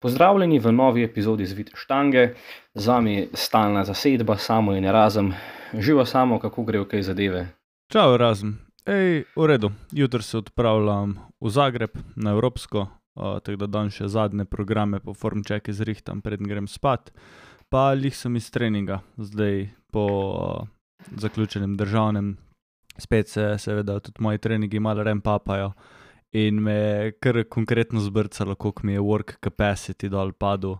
Pozdravljeni v novi epizodi Zvite štange, z vami stalna zasedba, Samo in Erazem. Živo Samo, kako grejo kaj zadeve? Čau, Erazem. V redu. Jutri se odpravljam v Zagreb na Evropsko, tako da dan še zadnje programe po formčeki zrihtam, preden grem spat. Pa lih sem iz treninga, zdaj po zaključenem državnem. Spet se seveda tudi moji treningi malo papajo in me je kar konkretno zbrcalo, koliko mi je work capacity dol padel.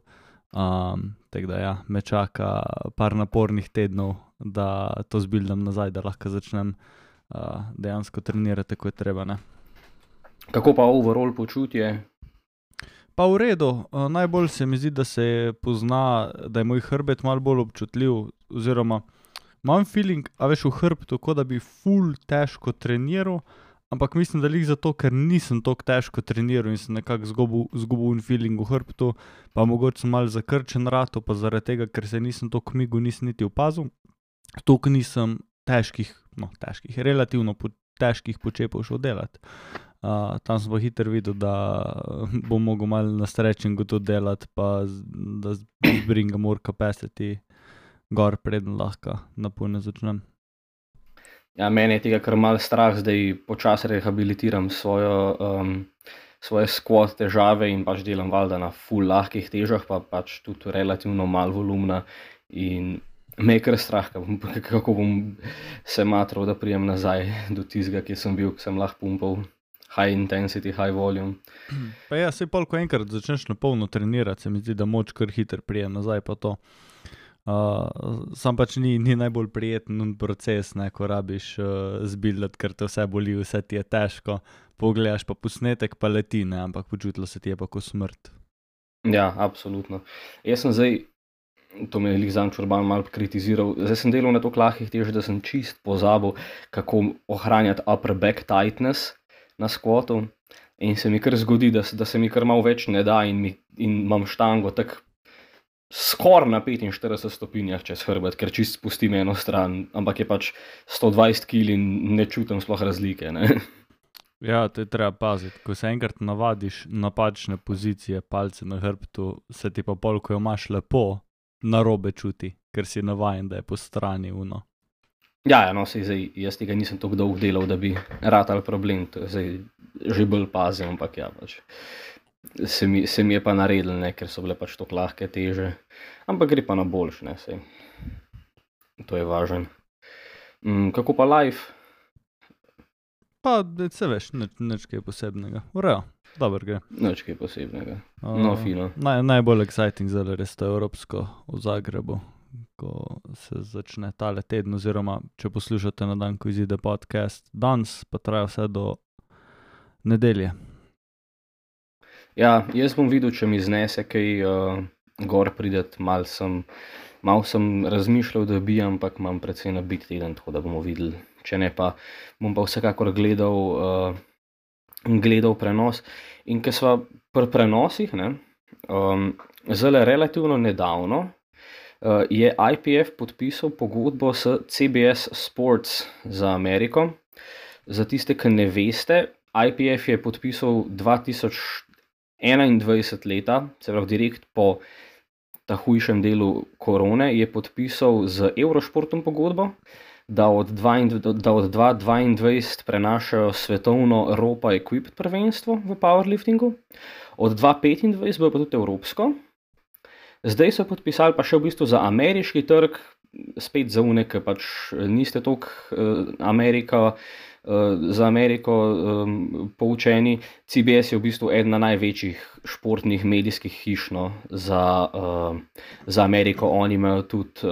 Tako da ja, me čaka par napornih tednov, da to zbildam nazaj, da lahko začnem dejansko trenirati, tako je treba, ne. Kako pa overall počutje? Pa v redu, najbolj se mi zdi, da se pozna, da je moj hrbet malo bolj občutljiv, oziroma imam feeling, a veš, v hrbtu, kot da bi ful težko treniral, ampak mislim, da lih zato, ker nisem toliko težko treniral in sem nekako zgubil feeling v hrbtu, pa mogoče sem malo zakrčen rato, pa zaradi tega, ker se nisem toliko migel, nisem niti opazil. Toliko nisem relativno težkih počepov šel delati. Tam sem pa hitro videl, da bom mogel malo na stretchingu tudi delati, pa da bringam more capacity gor, preden lahko napolno začnem. Ja, mene je tega kar malo strah, zdaj počasi rehabilitiram svoje squat težave in pač delam valjda na ful lahkih težah, pa pač tudi relativno malo volumna in me je kar strah, kako bom se matral, da prijem nazaj do tistega, ki sem bil, ki sem lahko pumpal high intensity, high volume. Pa ja, saj pol, ko enkrat začneš na polno trenirati, se mi zdi, da moč kar hitro prijem nazaj pa to. Sam pač ni najbolj prijeten proces, ne, ko rabiš zbildati, ker te vse boli, vse ti je težko, pogledaš pa posnetek pa leti, ne, ampak počutilo se ti je pa ko smrt. Ja, absolutno. Jaz sem zdaj, to me je lih Zanč Urban malo kritiziral, zdaj sem delal na toliko lahkih težah, da sem čist pozabil, kako ohranjati upper back tightness na squatu in se mi kar zgodi, da se mi kar malo več ne da in imam štango tako skoraj na 45 stopinjah čez hrbet, ker čist spustim eno stran, ampak je pač 120 kg in ne čutim sploh razlike, ne. Ja, to je treba paziti, ko se enkrat navadiš napačne pozicije, palce na hrbtu, se ti pa pol, ko jo imaš lepo, narobe čuti, ker si navajen, da je po strani uno. Ja, no, sej zdaj, jaz tega nisem toliko dolgo delal, da bi ratal problem, to je zdaj že bolj pazim, ampak ja, pač se mi je pa naredil, ne, ker so bile pač toliko lahke teže, ampak gre pa na boljš, ne, sej. To je važno. Kako pa life? Pa, se veš, nič kaj posebnega. Urejo, dobro gre. Nič kaj posebnega. No, fino. Najbolj exciting zdaj res to Evropsko v Zagrebu, ko se začne tale teden, oziroma če poslušate na dan, ko izide podcast danes, pa traja vse do nedelje. Ja, jaz bom videl, če mi znese kaj gor prideti, malo sem razmišljal, da bi, ampak imam precej nabit teden, tako da bomo videli. Če ne pa, bom pa vsekakor gledal prenos. In ker sva pri prenosih, ne, zdajle relativno nedavno je IPF podpisal pogodbo s CBS Sports za Ameriko. Za tiste, ki ne veste, IPF je podpisal 2021 leta, se pravi direkt po ta hujšem delu korone, je podpisal z Eurošportom pogodbo, da od 2022 prenašajo svetovno Europa Equipped prvenstvo v powerliftingu, od 2025 bo pa tudi evropsko. Zdaj so podpisali pa še v bistvu za ameriški trg, spet za une, ki pač niste toliko za Ameriko poučeni. CBS je v bistvu ena največjih športnih medijskih hiš, no, za Ameriko. Oni imajo tudi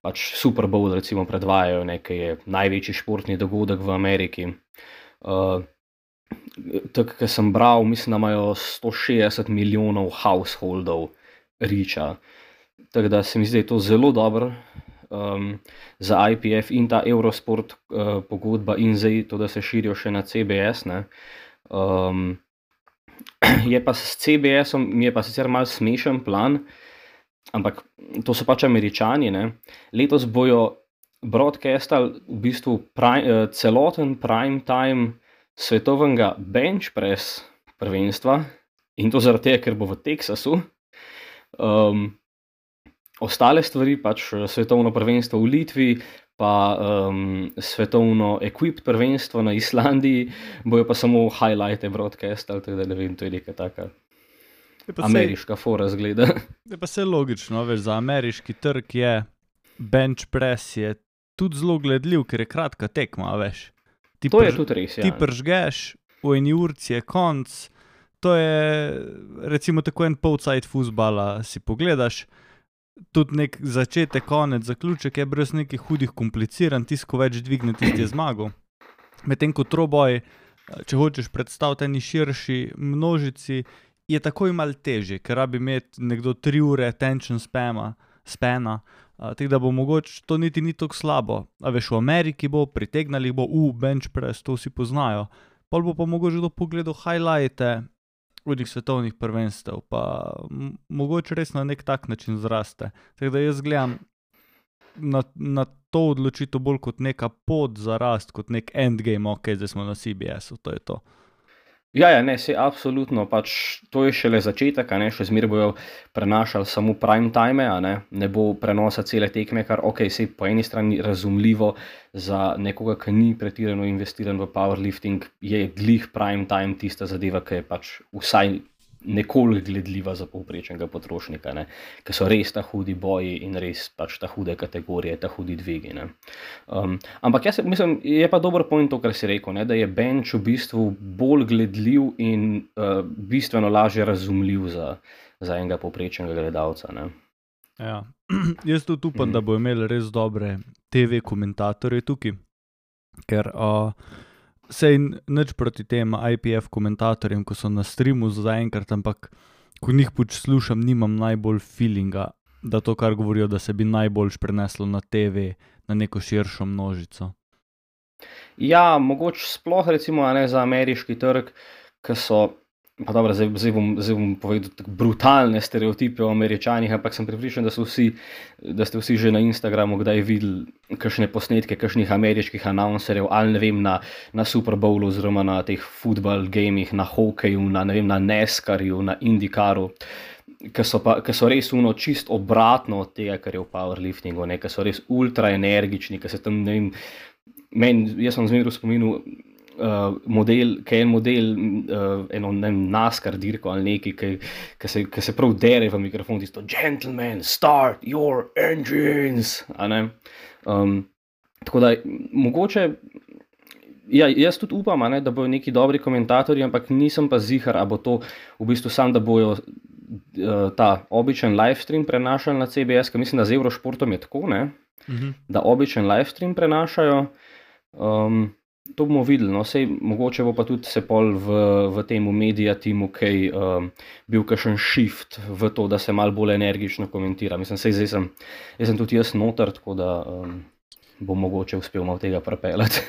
pač Super Bowl recimo predvajajo, ne, ki je največji športni dogodek v Ameriki. Tako, ko sem bral, mislim, da imajo 160 milijonov householdov reacha. Tako da se mi zdi, da je to zelo dobro za IPF in ta Eurosport pogodba in zdaj to, da se širijo še na CBS, ne. Je pa s CBS-om, mi je pa sicer malo smešen plan, ampak to so pač Američani, ne. Letos bojo broadcastali v bistvu celoten prime time svetovnega bench press prvenstva in to zaradi tega, ker bo v Teksasu. Ostale stvari, pač svetovno prvenstvo v Litvi, pa svetovno equipped prvenstvo na Islandiji, bojo pa samo highlighte broadcastali, tako da ne vem, to je neka taka ameriška fora zgleda. Je pa vse logično, veš, za ameriški trg je bench press je tudi zelo gledljiv, ker je kratka tekma, veš. To je tudi res, ja. Ti pržgeš, v eni urci je konc, to je recimo tako en polcajt fuzbala si pogledaš, tudi nek začetek, konec, zaključek je brez nekih hudih kompliciran, tisko več dvigne, tisti je zmagal. Medtem ko troboj, če hočeš predstaviti eni širši množici, je takoj malo težje, ker rabi imeti nekdo 3 ure attention spana, tako da bo mogoče to niti ni tako slabo. A veš, v Ameriki bo, pritegnali bo, bench press, to vsi poznajo, pol bo pa mogoče kdo pogledal highlighte od svetovnih prvenstev, pa mogoče res na nek tak način zraste. Tako da jaz gledam na to odločitev bolj kot neka pot za rast, kot nek endgame, ok, zdaj smo na CBS-u, to je to. Ja, ne, saj absolutno, pač to je šele začetek, še zmeraj bojo prenašali samo prime time, ne bo prenosa cele tekme, kar ok, saj po eni strani razumljivo za nekoga, ki ni pretirano investiran v powerlifting, je glih prime time tista zadeva, ki je pač vsaj nekoliko gledljiva za povprečnega potrošnika, ki so res ta hudi boji in res pač ta hude kategorije, ta hudi dvigi. Ampak jaz mislim, je pa dober point to, kar si rekel, da je bench v bistvu bolj gledljiv in bistveno lažje razumljiv za enega povprečnega gledalca. Ja. Jaz tudi upam, da bo imeli res dobre TV komentatorje tukaj, ker sej nič proti tem IPF komentatorjem, ko so na streamu zaenkrat, ampak ko njih slušam, nimam najbolj feelinga, da to, kar govorijo, da se bi najboljš preneslo na TV, na neko širšo množico. Ja, mogoče sploh recimo za ameriški trg, ki so, pa dobro, zdaj bom povedal tako brutalne stereotipe o Američanih, ampak sem prepričan, da ste vsi že na Instagramu kdaj videli kakšne posnetke kakšnih ameriških announcerjev, ali ne vem, na Super Bowlu oziroma na teh football gamih, na hokeju, na NASCAR-ju, na IndyCaru, ki so res čist obratno od tega, kar je v powerliftingu, ki so res ultra energični, ki se tam, ne vem, jaz sem zmeraj spominjal eno NASCAR dirko ali neki, ki se prav dere v mikrofon, tisto gentlemen, start your engines, tako da mogoče, ja, jaz tudi upam, da bojo neki dobri komentatorji, ampak nisem pa zihar, a bo to v bistvu sam, da bojo ta običen livestream prenašali na CBS, ker mislim, da z Eurošportom je tako, da običen livestream prenašajo. To bomo videli, sej mogoče bo pa tudi se pol v temu media teamu bil kakšen shift v to, da se malo bolj energično komentira. Mislim, zdaj sem tudi jaz noter, tako da bom mogoče uspel malo tega prepeljati.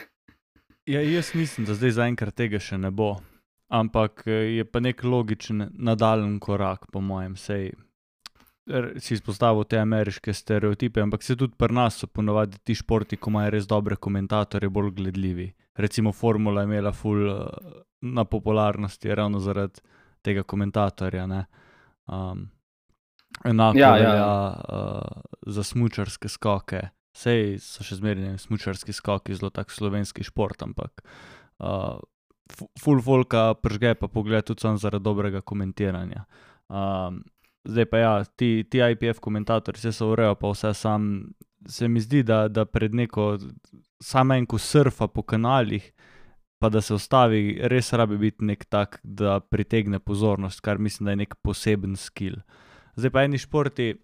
Ja, jaz mislim, da zdaj zaenkrat tega še ne bo, ampak je pa nek logičen nadaljen korak, po mojem, sej si izpostavil te ameriške stereotipe, ampak se tudi pri nas so ponovadi ti športi, ko imajo res dobre komentatorje, bolj gledljivi. Recimo Formula je imela ful na popularnosti ravno zaradi tega komentatorja, enako velja za smučarske skoke. Sej so še zmeraj smučarski skoki zelo tak slovenski šport, ampak ful folka pržge pa pogled tudi sam zaradi dobrega komentiranja. Zdaj pa ja, ti IPF komentatorji vse so urejo, pa vse sam, se mi zdi, da pred neko, samo en, ko surfa po kanalih, pa da se ustavi, res rabi biti nek tak, da pritegne pozornost, kar mislim, da je nek poseben skill. Zdaj pa eni športi,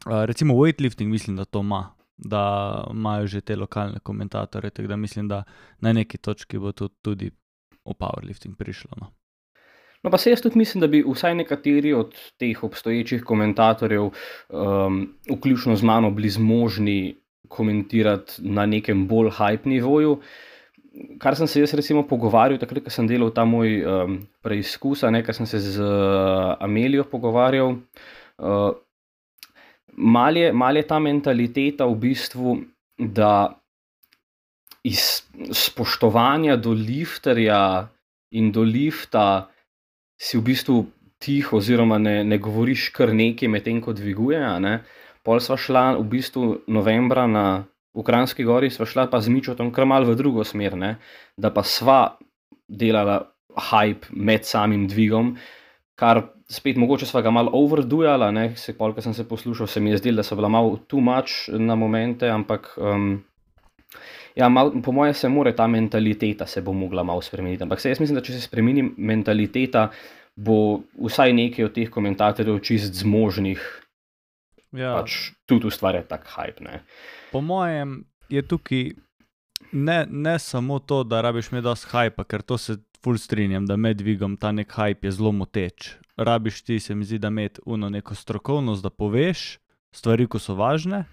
recimo weightlifting mislim, da to ima, da imajo že te lokalne komentatorje, tako da mislim, da na neki točki bo tudi v powerlifting prišlo. No, pa se jaz tudi mislim, da bi vsaj nekateri od teh obstoječih komentatorjev, vključno z mano, bili zmožni komentirati na nekem bolj hype nivoju. Kar sem se jaz recimo pogovarjal, takrat, ko sem delal ta moj preizkus, ker sem se z Amelijo pogovarjal, mal je ta mentaliteta v bistvu, da iz spoštovanja do lifterja in do lifta si v bistvu tiho oziroma ne govoriš kar nekaj medtem, ko dviguje, a ne. Pol sva šla v bistvu novembra v Kranjski Gori, sva šla pa z Mičotom kar malo v drugo smer, ne, da pa sva delala hype med samim dvigom, kar spet mogoče sva ga malo overdujala, ne, pol, ko sem se poslušal, se mi je zdelo, da so bila malo too much na momente, ampak ja, po moje se mora ta mentaliteta se bo mogla malo spremeniti, ampak jaz mislim, da če se spremeni mentaliteta, bo vsaj nekaj od teh komentatorjev čist zmožnih pač tudi ustvarjati tak hype, ne. Po mojem je tukaj ne samo to, da rabiš imeti dosti hypa, ker to se ful strinjam, da med dvigom ta nek hype je zelo moteč. Rabiš ti, se mi zdi, da imeti neko strokovnost, da poveš stvari, ko so važne,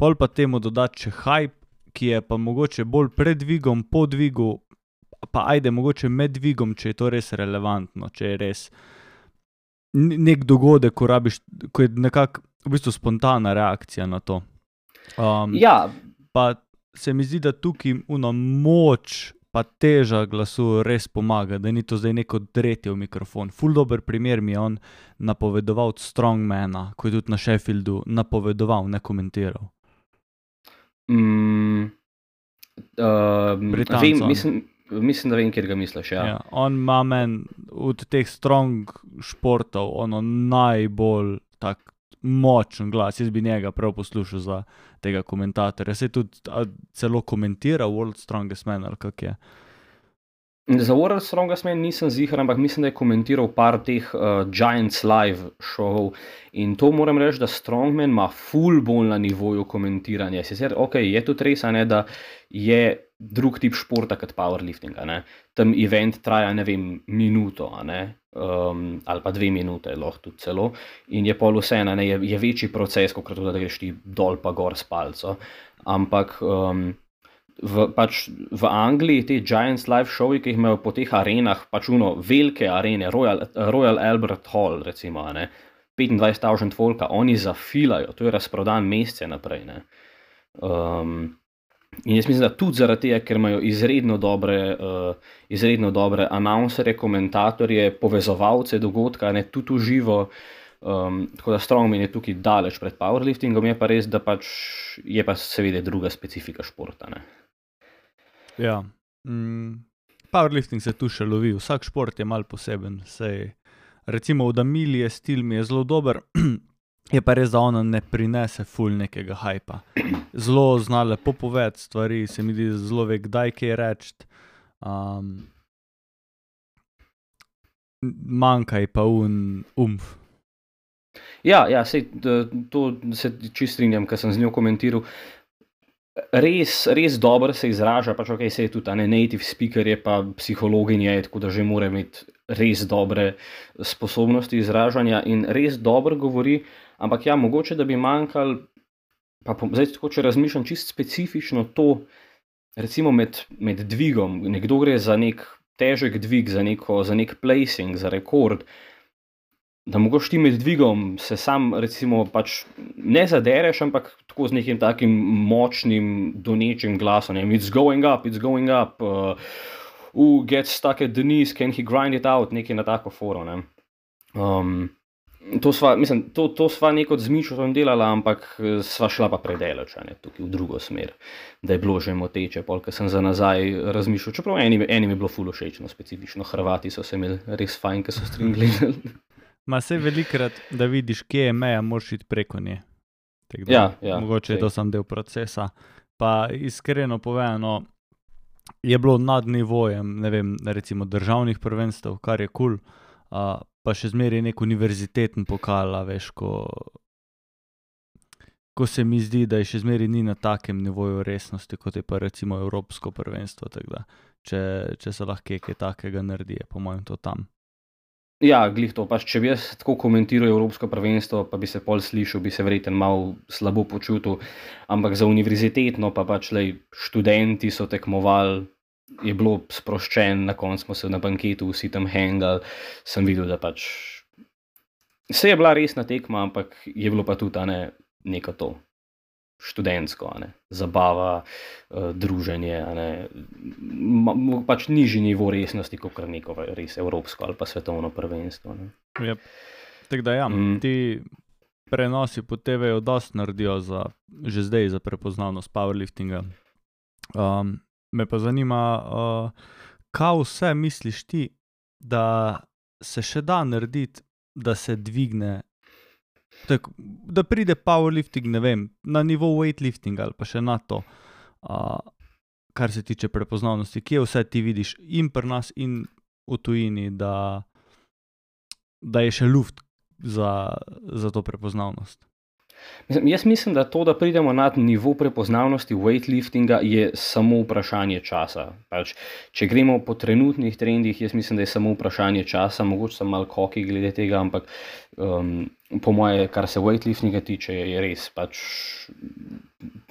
pol pa temu dodati še hype, ki je pa mogoče bolj pred dvigom, po dvigu, pa ajde mogoče med dvigom, če je to res relevantno, če je res nek dogodek, ko je nekako v bistvu spontana reakcija na to. Ja. Pa se mi zdi, da tukaj moč pa teža glasu res pomaga, da ni to zdaj neko dretje v mikrofon. Ful dober primer mi je on napovedoval od Strongmana, ko je tudi na Sheffieldu napovedoval, ne komentiral. Mislim, da vem, kjer ga misliš, ja. Ja, on ima meni od teh strong športov najbolj tak močen glas. Jaz bi njega prav poslušal za tega komentatorja. Se tudi celo komentira World Strongest Man, ali kak je? Za World Strongest Man nisem ziher, ampak mislim, da je komentiral par teh Giants Live šovov in to moram reči, da Strongman ima ful bolj na nivoju komentiranja. Sicer, je tudi res, ne, da je drug tip športa kot powerliftinga, ne. Tam event traja, ne vem, minuto, ne, ali pa 2 minute, lahko tudi celo, in je pol vseeno, ne, je večji proces, kot da greš ti dol pa gor s palco. Ampak v Angliji te Giants Live šovi, ki jih imajo po teh arenah, velike arene, Royal Albert Hall, recimo, ne, 25,000 folka, oni zafilajo, to je razprodan mesece naprej, ne. In jaz mislim, da tudi zaradi tega, ker imajo izredno dobre announcerje, komentatorje, povezovalce dogodka, ne, tudi v živo, tako da Strongman je tukaj daleč pred powerliftingom, je pa res, da pač je pa seveda druga specifika športa, ne. Ja, powerlifting se tu še lovi, vsak šport je malo poseben, sej recimo od Amilije stil mi je zelo dober, je pa res, da ona ne prinese ful nekega hypa. Zelo zna lepo povedati stvari, se mi zdi, zelo ve, kdaj kaj reči. Manjka ji pa umf. Ja, sej to se čisto strinjam, ker sem z njo komentiral. Res dobro se izraža, pač sej tudi native speaker je pa psihologinja, tako da že mora imeti res dobre sposobnosti izražanja in res dobro govori, ampak ja, mogoče, da bi manjkalo, pa zdaj tako, če razmišljam čisto specifično to, recimo med dvigom, nekdo gre za nek težek dvig, za nek placing, za rekord, da mogoče ti med dvigom se sam recimo pač ne zadereš, ampak tako z nekim takim močnim, donečim glasom, it's going up, who gets stuck at the knees, can he grind it out, nekaj na tako foro, ne. To sva neko z Mičotom delala, ampak sva šla pa predaleč, ne, tukaj v drugo smer, da je bilo že moteče, pol, ko sem za nazaj razmišljal, čeprav enim je bilo ful všečno, specifično, Hrvati so se imeli res fajn, ko so stream gledali. Ma sej velikrat, da vidiš, kje je meja, moraš iti preko nje. Ja, mogoče je to sam del procesa. Pa iskreno povedano, je bilo nad nivojem, ne vem, recimo državnih prvenstev, kar je kul, pa še zmeraj nek univerziteten pokal, veš, ko se mi zdi, da je še zmeraj ni na takem nivoju resnosti, kot je pa recimo evropsko prvenstvo, tako da, če se lahko kaj takega naredi, je po mojem to tam. Ja, glih to, pač če bi jaz tako komentiral evropsko prvenstvo, pa bi se pol slišal, bi se verjetno malo slabo počutil, ampak za univerzitetno pa pač študenti so tekmovali, je bilo sproščen, na koncu smo se na banketu vsi tam hangali, sem videl, da pač se je bila resna tekma, ampak je bilo pa tudi neko to. študentsko, zabava, druženje, pač nižji nivo resnosti, kot neko res evropsko ali pa svetovno prvenstvo. Yep. Tako da ti prenosi po TV-ju dosti naredijo že zdaj za prepoznavnost powerliftinga. Me pa zanima, kaj vse misliš ti, da se še da narediti, da se dvigne, da pride powerlifting, ne vem, na nivo weightliftinga ali pa še na to, kar se tiče prepoznavnosti. Kje vse ti vidiš in pri nas in v tujini, da je še luft za to prepoznavnost? Jaz mislim, da to, da pridemo na nivo prepoznavnosti weightliftinga, je samo vprašanje časa. Pač, če gremo po trenutnih trendih, jaz mislim, da je samo vprašanje časa, mogoče sem malo koki glede tega, ampak po moje, kar se weightliftinga tiče, je res pač,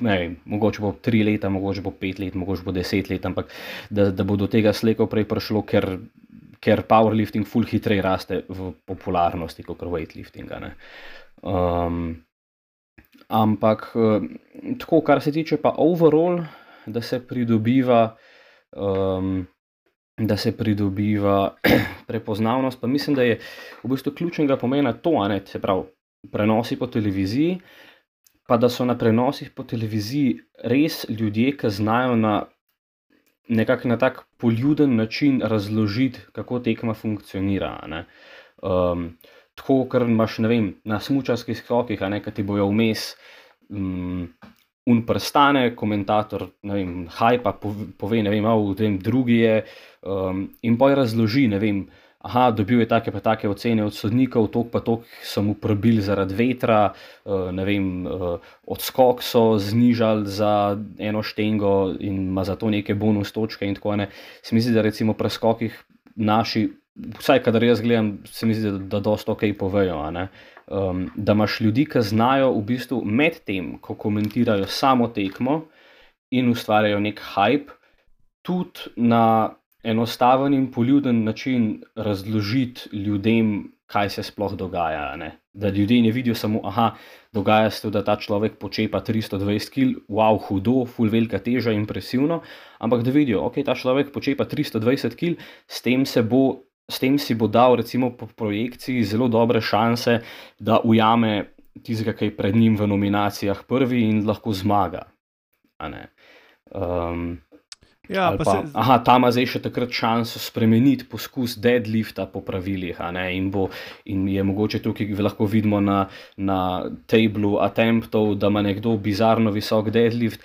ne vem, mogoče bo 3 leta, mogoče bo 5 let, mogoče bo 10 let, ampak da bo do tega slejko prej prišlo, ker powerlifting ful hitreje raste v popularnosti kot weightliftinga. Ampak tako, kar se tiče pa overall, da se pridobiva prepoznavnost, pa mislim, da je v bistvu ključnega pomena to, se pravi, prenosi po televiziji, pa da so na prenosih po televiziji res ljudje, ki znajo nekako na tak poljuden način razložiti, kako tekma funkcionira. Tako, ker imaš, ne vem, na smučarskih skokih, ki ti bojo vmes prstane, komentator, ne vem, hajpa pove, ne vem, drugi je, in poj razloži, ne vem, dobil je take pa take ocene od sodnikov, toliko pa toliko so mu probili zaradi vetra, ne vem, odskok so znižali za eno štengo in ima za to neke bonus točke in tako. Se mi zdi, da recimo pri skokih naši, vsaj kadar jaz gledam, se mi zdi, da dosti ok povejo, da imaš ljudi, ki znajo v bistvu med tem, ko komentirajo samo tekmo in ustvarjajo nek hype, tudi na enostaven in poljuden način razložiti ljudem, kaj se sploh dogaja. Da ljudje ne vidijo samo, dogaja se to, da ta človek počepa 320 kg, wow, hudo, ful velika teža, impresivno, ampak da vidijo, ok, ta človek počepa 320 kg, s tem si bo dal recimo po projekciji zelo dobre šanse, da ujame tistega, ki je pred njim v nominacijah prvi in lahko zmaga. Ta ima zdaj še takrat šanso spremeniti poskus deadlifta po pravilih, in je mogoče tukaj lahko vidimo na tablu attemptov, da ima nekdo bizarno visok deadlift,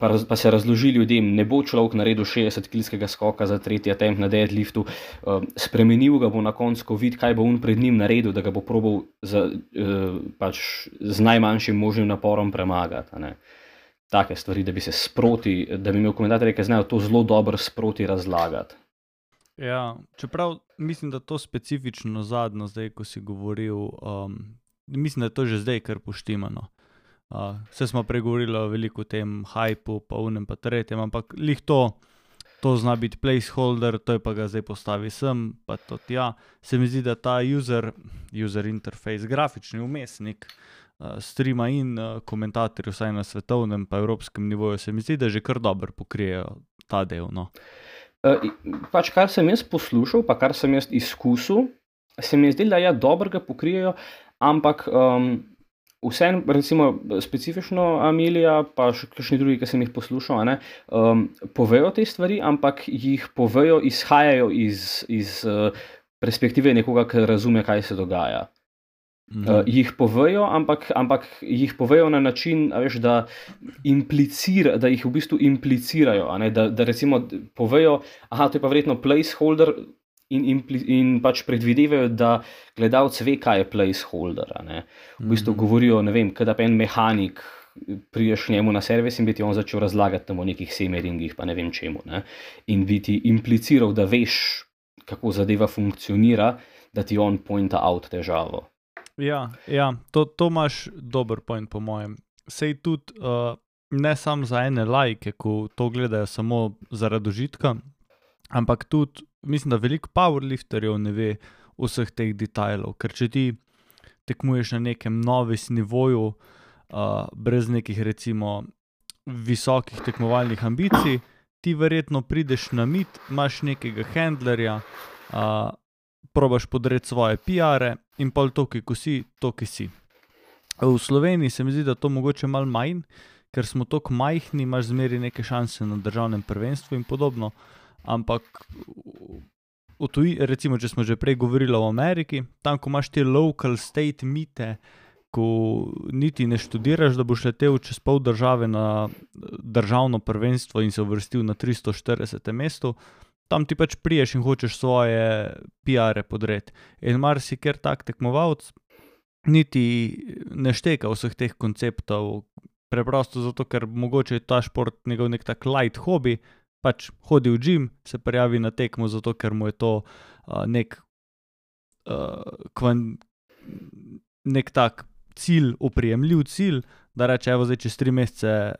pa se razloži ljudem, ne bo človek naredil 60-kilskega skoka za 3. attempt na deadliftu, spremenil ga bo na koncu, ko vidi, kaj bo on pred njim naredil, da ga bo probal z najmanjšim možnim naporom premagati. Take stvari, da bi se sproti, da bi imel komentatorje, ki znajo to zelo dobro sproti razlagati. Ja, čeprav mislim, da to specifično zadnjo zdaj, ko si govoril, mislim, da je to že zdaj kar poštimano. Vse smo pregovorili veliko o tem hypu, pa unem pa tretjem, ampak lih to zna biti placeholder, to je pa ga zdaj postavi sem, pa to tja. Se mi zdi, da ta user interface, grafični vmesnik, streama in komentatorji, vsaj na svetovnem pa evropskem nivoju, se mi zdi, da že kar dobro pokrijejo ta del. Pač kar sem jaz poslušal, pa kar sem jaz izkusil, se mi je zdelo, da dobro ga pokrijejo, ampak vseeno, recimo specifično Amelija, pa še kakšni drugi, ki sem jih poslušal, povejo te stvari, ampak jih povejo, izhajajo iz perspektive nekoga, ki razume, kaj se dogaja. Jih povejo, ampak jih povejo na način, da jih v bistvu implicirajo, da recimo povejo, to je pa verjetno placeholder, in pač predvidevajo, da gledalec ve, kaj je placeholder. V bistvu govorijo, ne vem, kada pa en mehanik prideš njemu na servis in bi ti on začel razlagati o nekih semeringih, pa ne vem čemu. In bi ti impliciral, da veš, kako zadeva funkcionira, da ti on pointa out težavo. Ja, to imaš dober point po mojem. Sej tudi ne samo za ene lajke, ko to gledajo samo zaradi užitka, ampak tudi mislim, da veliko powerlifterjev ne ve vseh teh detajlov, ker če ti tekmuješ na nekem novice nivoju, brez nekih recimo visokih tekmovalnih ambicij, ti verjetno prideš na mit, imaš nekega handlerja, probaš podreti svoje PR-e in pol to, ki si, to, ki si. V Sloveniji se mi zdi, da to mogoče malo manj, ker smo toliko majhni, imaš zmeri neke šanse na državnem prvenstvu in podobno, ampak recimo, če smo že prej govorili o Ameriki, tam, ko imaš te local state mite, ko niti ne študiraš, da boš letel čez pol države na državno prvenstvo in se uvrstil na 340. mestu, tam ti pač priješ in hočeš svoje PR-e podreti. In marsikjer tak tekmovalec niti ne šteka vseh teh konceptov, preprosto zato, ker mogoče je ta šport njegov nek tak light hobi, pač hodi v gym, se prijavi na tekmo zato, ker mu je to nek tak cilj, oprijemljiv cilj, da reče, evo zdaj čez 3 mesece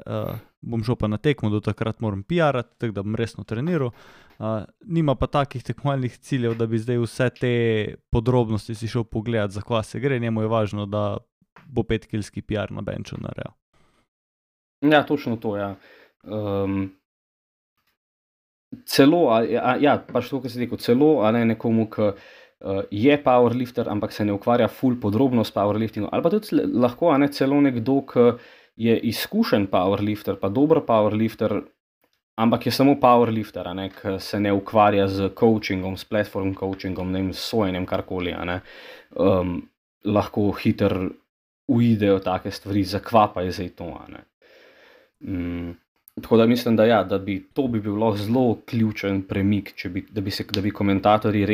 bom šel pa na tekmo, do takrat moram PR-ati, tako da bom resno treniral. Nima pa takih tekmovalnih ciljev, da bi zdaj vse te podrobnosti si šel pogledati, za kva se gre, njemu je važno, da bo 5-kilski PR na benču naredil. Ja, točno to, ja. Celo, pač to, kar si rekel, celo, nekomu, ki je powerlifter, ampak se ne ukvarja ful podrobno s powerliftingom, ali pa tudi lahko, celo nekdo, ki je izkušen powerlifter, pa dober powerlifter, ampak je samo powerlifter, ki se ne ukvarja z coachingom, s platform coachingom, ne vem, s sojenjem, karkoli, lahko hitro uidejo take stvari, zakva pa je zdaj to, Tako da mislim, da bi to bil lahko zelo ključen premik, da bi komentatorji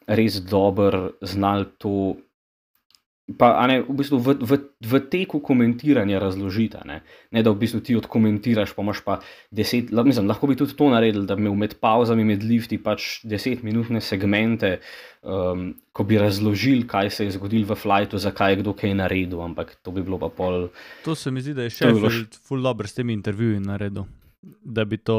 res dobro znali to, pa v bistvu v teku komentiranja razložiti, ne da v bistvu ti odkomentiraš, pa imaš pa 10, lahko bi tudi to naredili, da bi imel med pauzami, med lifti pač 10-minutne segmente, ko bi razložili, kaj se je zgodilo v flightu, zakaj je kdo kaj naredil, ampak to bi bilo pa pol. To se mi zdi, da je Sheffield ful dobro s temi intervjuji naredil, da bi to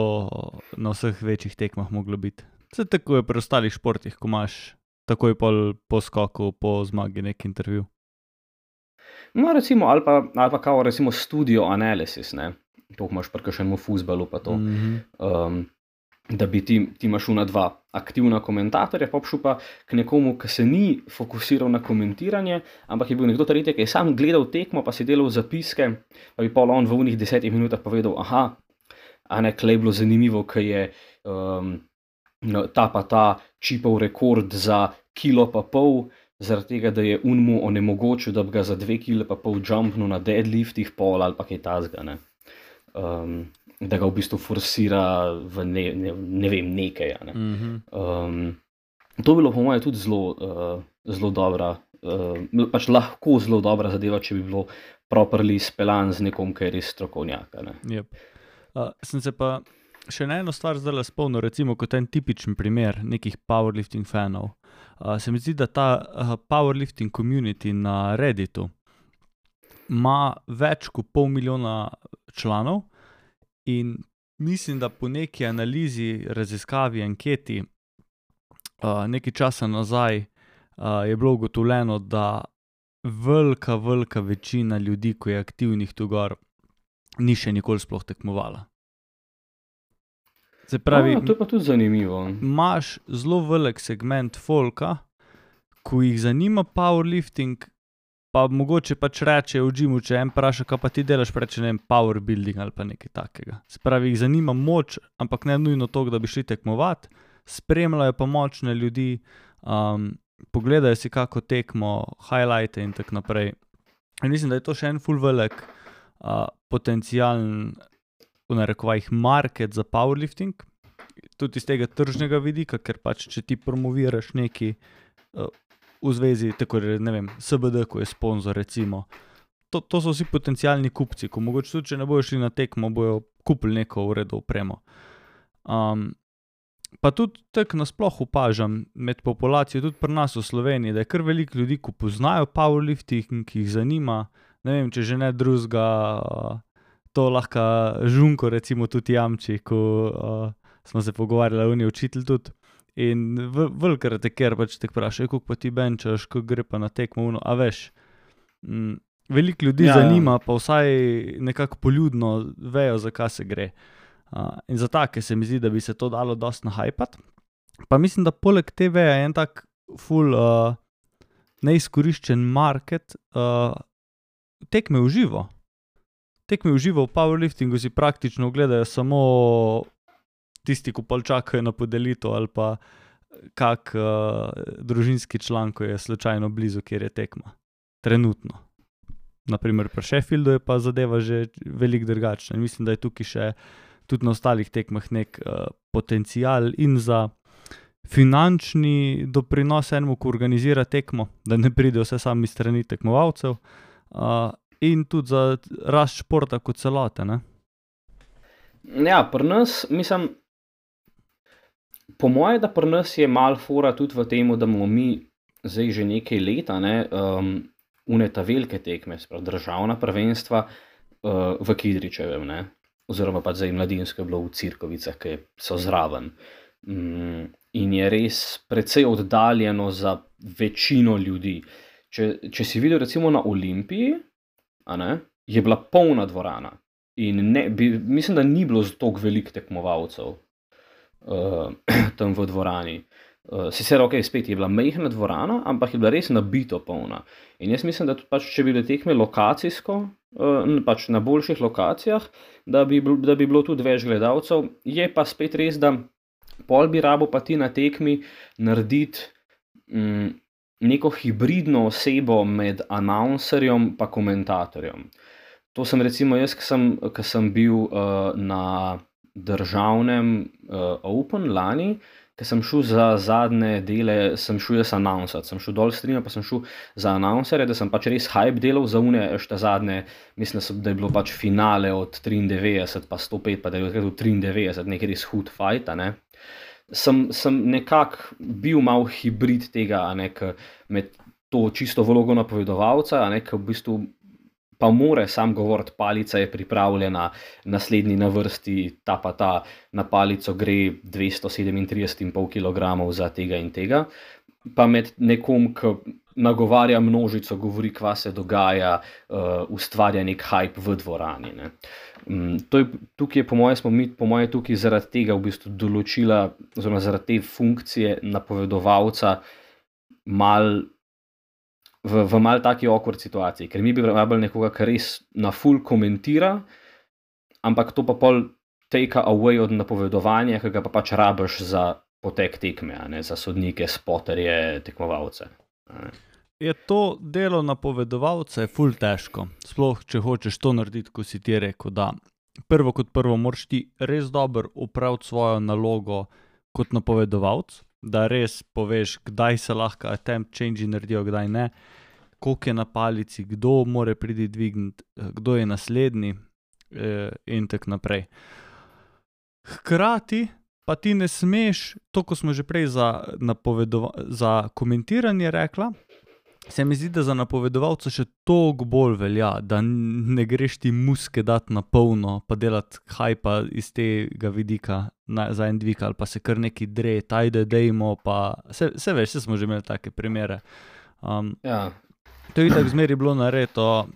na vseh večjih tekmah moglo biti. Vse tako je pri ostalih športih, ko imaš takoj po skoku, po zmagi nek intervju. No, recimo, ali pa kao recimo studio analysis, to imaš pri kakšnemu fuzbalu pa to, da bi ti imaš dva aktivna komentatorja, pa šel pa k nekomu, ki se ni fokusiral na komentiranje, ampak je bil nekdo tretji, ki je sam gledal tekmo, pa si delal zapiske, pa bi pol on v unih 10 minutah povedal, klej je bilo zanimivo, ker je ta pa ta čipov rekord za 1,5 kg, zaradi tega, da je mu onemogočil, da bi ga za 2,5 kg jumpnil na deadliftih pol ali pa kaj tazga, da ga v bistvu forsira v ne vem, nekaj. To bi bilo po moje tudi zelo dobra, pač lahko zelo dobra zadeva, če bi bilo properly speljan z nekom, ki je res strokovnjak. Yep. Sem se pa še na eno stvar zdaj spomnil, recimo kot en tipičen primer nekih powerlifting fanov. Se mi zdi, da ta powerlifting community na Redditu ima več kot 500,000 članov in mislim, da po neki analizi, raziskavi, anketi nekaj časa nazaj je bilo ugotovljeno, da velika večina ljudi, ko je aktivnih tu gor, ni še nikoli sploh tekmovala. Se pravi, to je pa tudi zanimivo. Imaš zelo velik segment folka, ko jih zanima powerlifting, pa mogoče pač reče v gymu, če en vpraša, kaj pa ti delaš, reče, ne vem, power building ali pa nekaj takega. Se pravi, jih zanima moč, ampak ne nujno to, da bi šli tekmovati, spremljajo pa močne ljudi, pogledajo si kako tekmo, highlighte in tako naprej. In mislim, da je to še en ful velik potencialen, v narekovajih, market za powerlifting, tudi iz tega tržnega vidika, ker pač, če ti promoviraš neki v zvezi, tako ne vem, SBD, ko je sponzor, recimo, to so vsi potencialni kupci, ko mogoče tudi, če ne bojo šli na tekmo, bojo kupili neko v redu opremo. Pa tudi tako nasploh opažam med populacijo, tudi pri nas v Sloveniji, da je kar veliko ljudi, ko poznajo powerlifting, ki jih zanima, ne vem, če že ne drugega, to lahko Žunko recimo tudi jamči, ko smo se pogovarjali, on je učitelj tudi, in velikrat je ker pač te vprašajo, koliko pa ti benčaš, ko gre pa na tekmo, a veš, veliko ljudi Ja, ja. zanima, pa vsaj nekako poljudno vejo, za kaj se gre. In za take se mi zdi, da bi se to dalo dosti nahajpati. Pa mislim, da poleg TV-ja je en tak ful neizkoriščen market tekme v živo. Tekme v živo v powerliftingu si praktično gledajo samo tisti, ko pol čakajo na podelitev ali pa kak družinski član, ko je slučajno blizu, kjer je tekma. Trenutno. Naprimer pri Sheffieldu je pa zadeva že veliko drugačna. In mislim, da je tukaj še tudi na ostalih tekmah nek potencial in za finančni doprinos enemu, ko organizira tekmo, da ne pride vse sami strani tekmovalcev, in tudi za rast športa kot celote, ne? Ja, pri nas, mislim, po moje, da pri nas je mal fora tudi v tem, da bomo mi zdaj že nekaj leta, uneta velike tekme, sprav državna prvenstva v Kidričevem, ne, oziroma pa zdaj mladinsko je bilo v Cirkovicah, ki so zraven. In je res precej oddaljeno za večino ljudi. Če si videl recimo na Olimpiji, je bila polna dvorana in mislim, da ni bilo toliko veliko tekmovalcev tam v dvorani. Sicer spet je bila majhna dvorana, ampak je bila res nabito polna. In jaz mislim, da tudi pač, če bi bile tekme lokacijsko, pač na boljših lokacijah, da bi bilo tudi več gledalcev. Je pa spet res, da pol bi rabo pa ti na tekmi narediti neko hibridno osebo med announcerjem pa komentatorjem. To sem recimo jaz, ko sem bil na državnem Open lani, ko sem šel za zadnje dele, sem šel jaz announcati, sem šel dol streama, pa sem šel za announcerje, da sem pač res hype delal za une ešte zadnje, mislim, da je bilo pač finale od 93 pa 105, pa da je bilo 93, nekaj res hud fight, sem nekako bil mal hibrid tega, med to čisto vlogo napovedovalca, ko v bistvu pa more sam govoriti, palica je pripravljena, naslednji na vrsti, ta pa ta, na palico gre 237,5 kg za tega in tega, pa med nekom, ki nagovarja množico, govori, kva se dogaja, ustvarja nek hype v dvorani. Tukaj je, smo mi tukaj zaradi tega v bistvu določila, oziroma zaradi te funkcije napovedovalca v mal taki awkward situaciji, ker mi bi rabili nekoga, ki res na full komentira, ampak to pa pol take away od napovedovanja, ki ga pa pač rabiš za potek tekme, za sodnike, spoterje, tekmovalce. Je to delo napovedovalca je ful težko, sploh če hočeš to narediti, ko si ti rekel, da prvo kot prvo moraš ti res dobro opraviti svojo nalogo kot napovedovalc, da res poveš, kdaj se lahko attempt change naredijo, kdaj ne, koliko je na palici, kdo more priti dvigniti, kdo je naslednji in tak naprej. Hkrati pa ti ne smeš, to ko smo že prej za komentiranje rekla, se mi zdi, da za napovedovalca še toliko bolj velja, da ne greš ti muske dati na polno, pa delati hajpa iz tega vidika za en dvig, ali pa se kar neki dre, tajde dejmo, pa se veš, vse smo že imeli take primere. To je tako zmeri bilo naredo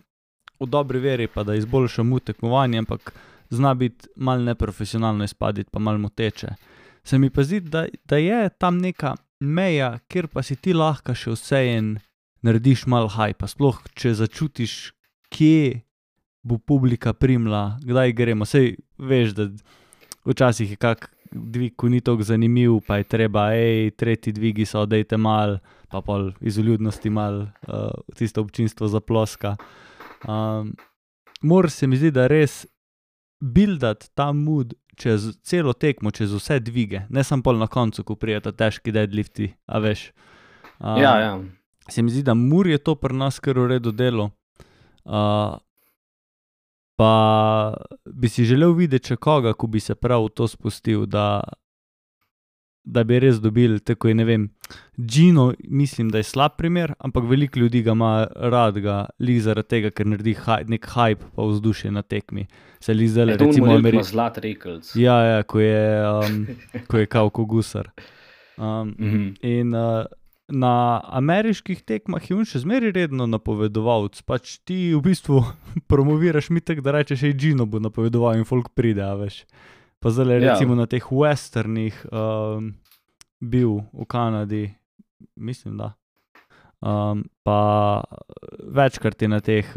v dobri veri, pa da izboljšamo tekmovanje, ampak zna biti malo neprofesionalno izpaditi, pa malo moteče. Se mi pa zdi, da je tam neka meja, kjer pa si ti lahko še vsejen narediš malo hajpa, sploh če začutiš, kje bo publika primla, kdaj gremo. Sej veš, da včasih je kak dvig, ko ni toliko zanimiv, pa je treba, tretji dvigi so, dejte mal, pa pol iz vljudnosti mal tisto občinstvo zaploska. Mora se mi zdi, da res buildati ta mood čez celo tekmo, čez vse dvige, ne samo pol na koncu, ko prijeta težki deadlifti, a veš. Ja. Se mi zdi, da Mur je to pri nas kar v redu delo. Pa bi si želel videti še koga, ko bi se prav to spustil, da bi res dobili, tako je, ne vem, Gino, mislim, da je slab primer, ampak veliko ljudi ga ima rad lih zaradi tega, ker naredi nek hype pa vzdušje na tekmi. Se li zdaj, recimo, Zlat Rekelc. Ja, ko je kao ko gusar. In na ameriških tekmah je on še zmeraj redno napovedovalec, pač ti v bistvu promoviraš mi tako, da rečeš, hej, Gino bo napovedoval in folk pride, a veš. Pa zdaj recimo na teh westernih bil v Kanadi, mislim, da. Pa večkrat je na teh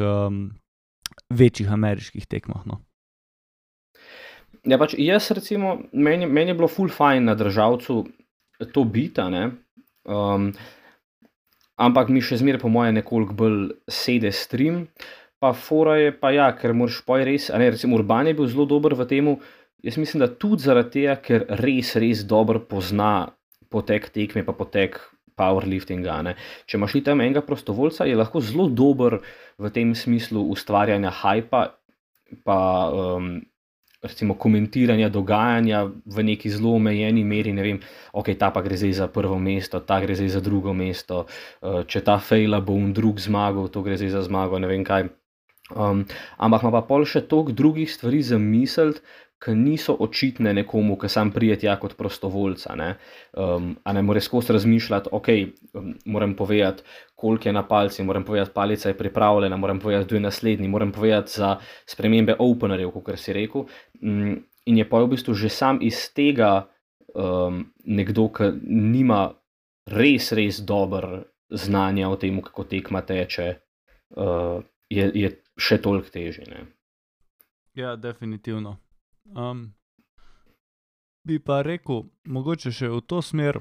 večjih ameriških tekmah, no. Ja, pač jaz recimo, meni je bilo ful fajn na državcu to bita, ne. Ampak mi še zmeraj po moje nekoliko bolj sede stream, pa fora je pa ja, ker moraš poj res, a ne, recimo Urban je bil zelo dober v temu, jaz mislim, da tudi zaradi tega, ker res dobro pozna potek tekme pa potek powerliftinga, ne. Če imaš ti tam enega prostovoljca, je lahko zelo dober v tem smislu ustvarjanja hypa, pa recimo komentiranja dogajanja v neki zelo omejeni meri, ne vem, ok, ta pa gre zdaj za prvo mesto, ta gre zdaj za drugo mesto, če ta fejla bo drug zmagal, to gre zdaj za zmago, ne vem kaj. Ampak ima pa pol še toliko drugih stvari za misliti, ki niso očitne nekomu, ki sam pride tja kot prostovoljca, ne. A ne more skozi razmišljati, ok, moram povedati, koliko je na palci, moram povedati, palica je pripravljena, moram povedati, kdo je naslednji, moram povedati za spremembe openerjev, kakor si rekel. In je pa v bistvu že sam iz tega nekdo, ki nima res dobro znanja o tem, kako tekma teče, je še toliko težje, ne. Ja, definitivno. Bi pa rekel, mogoče še v to smer,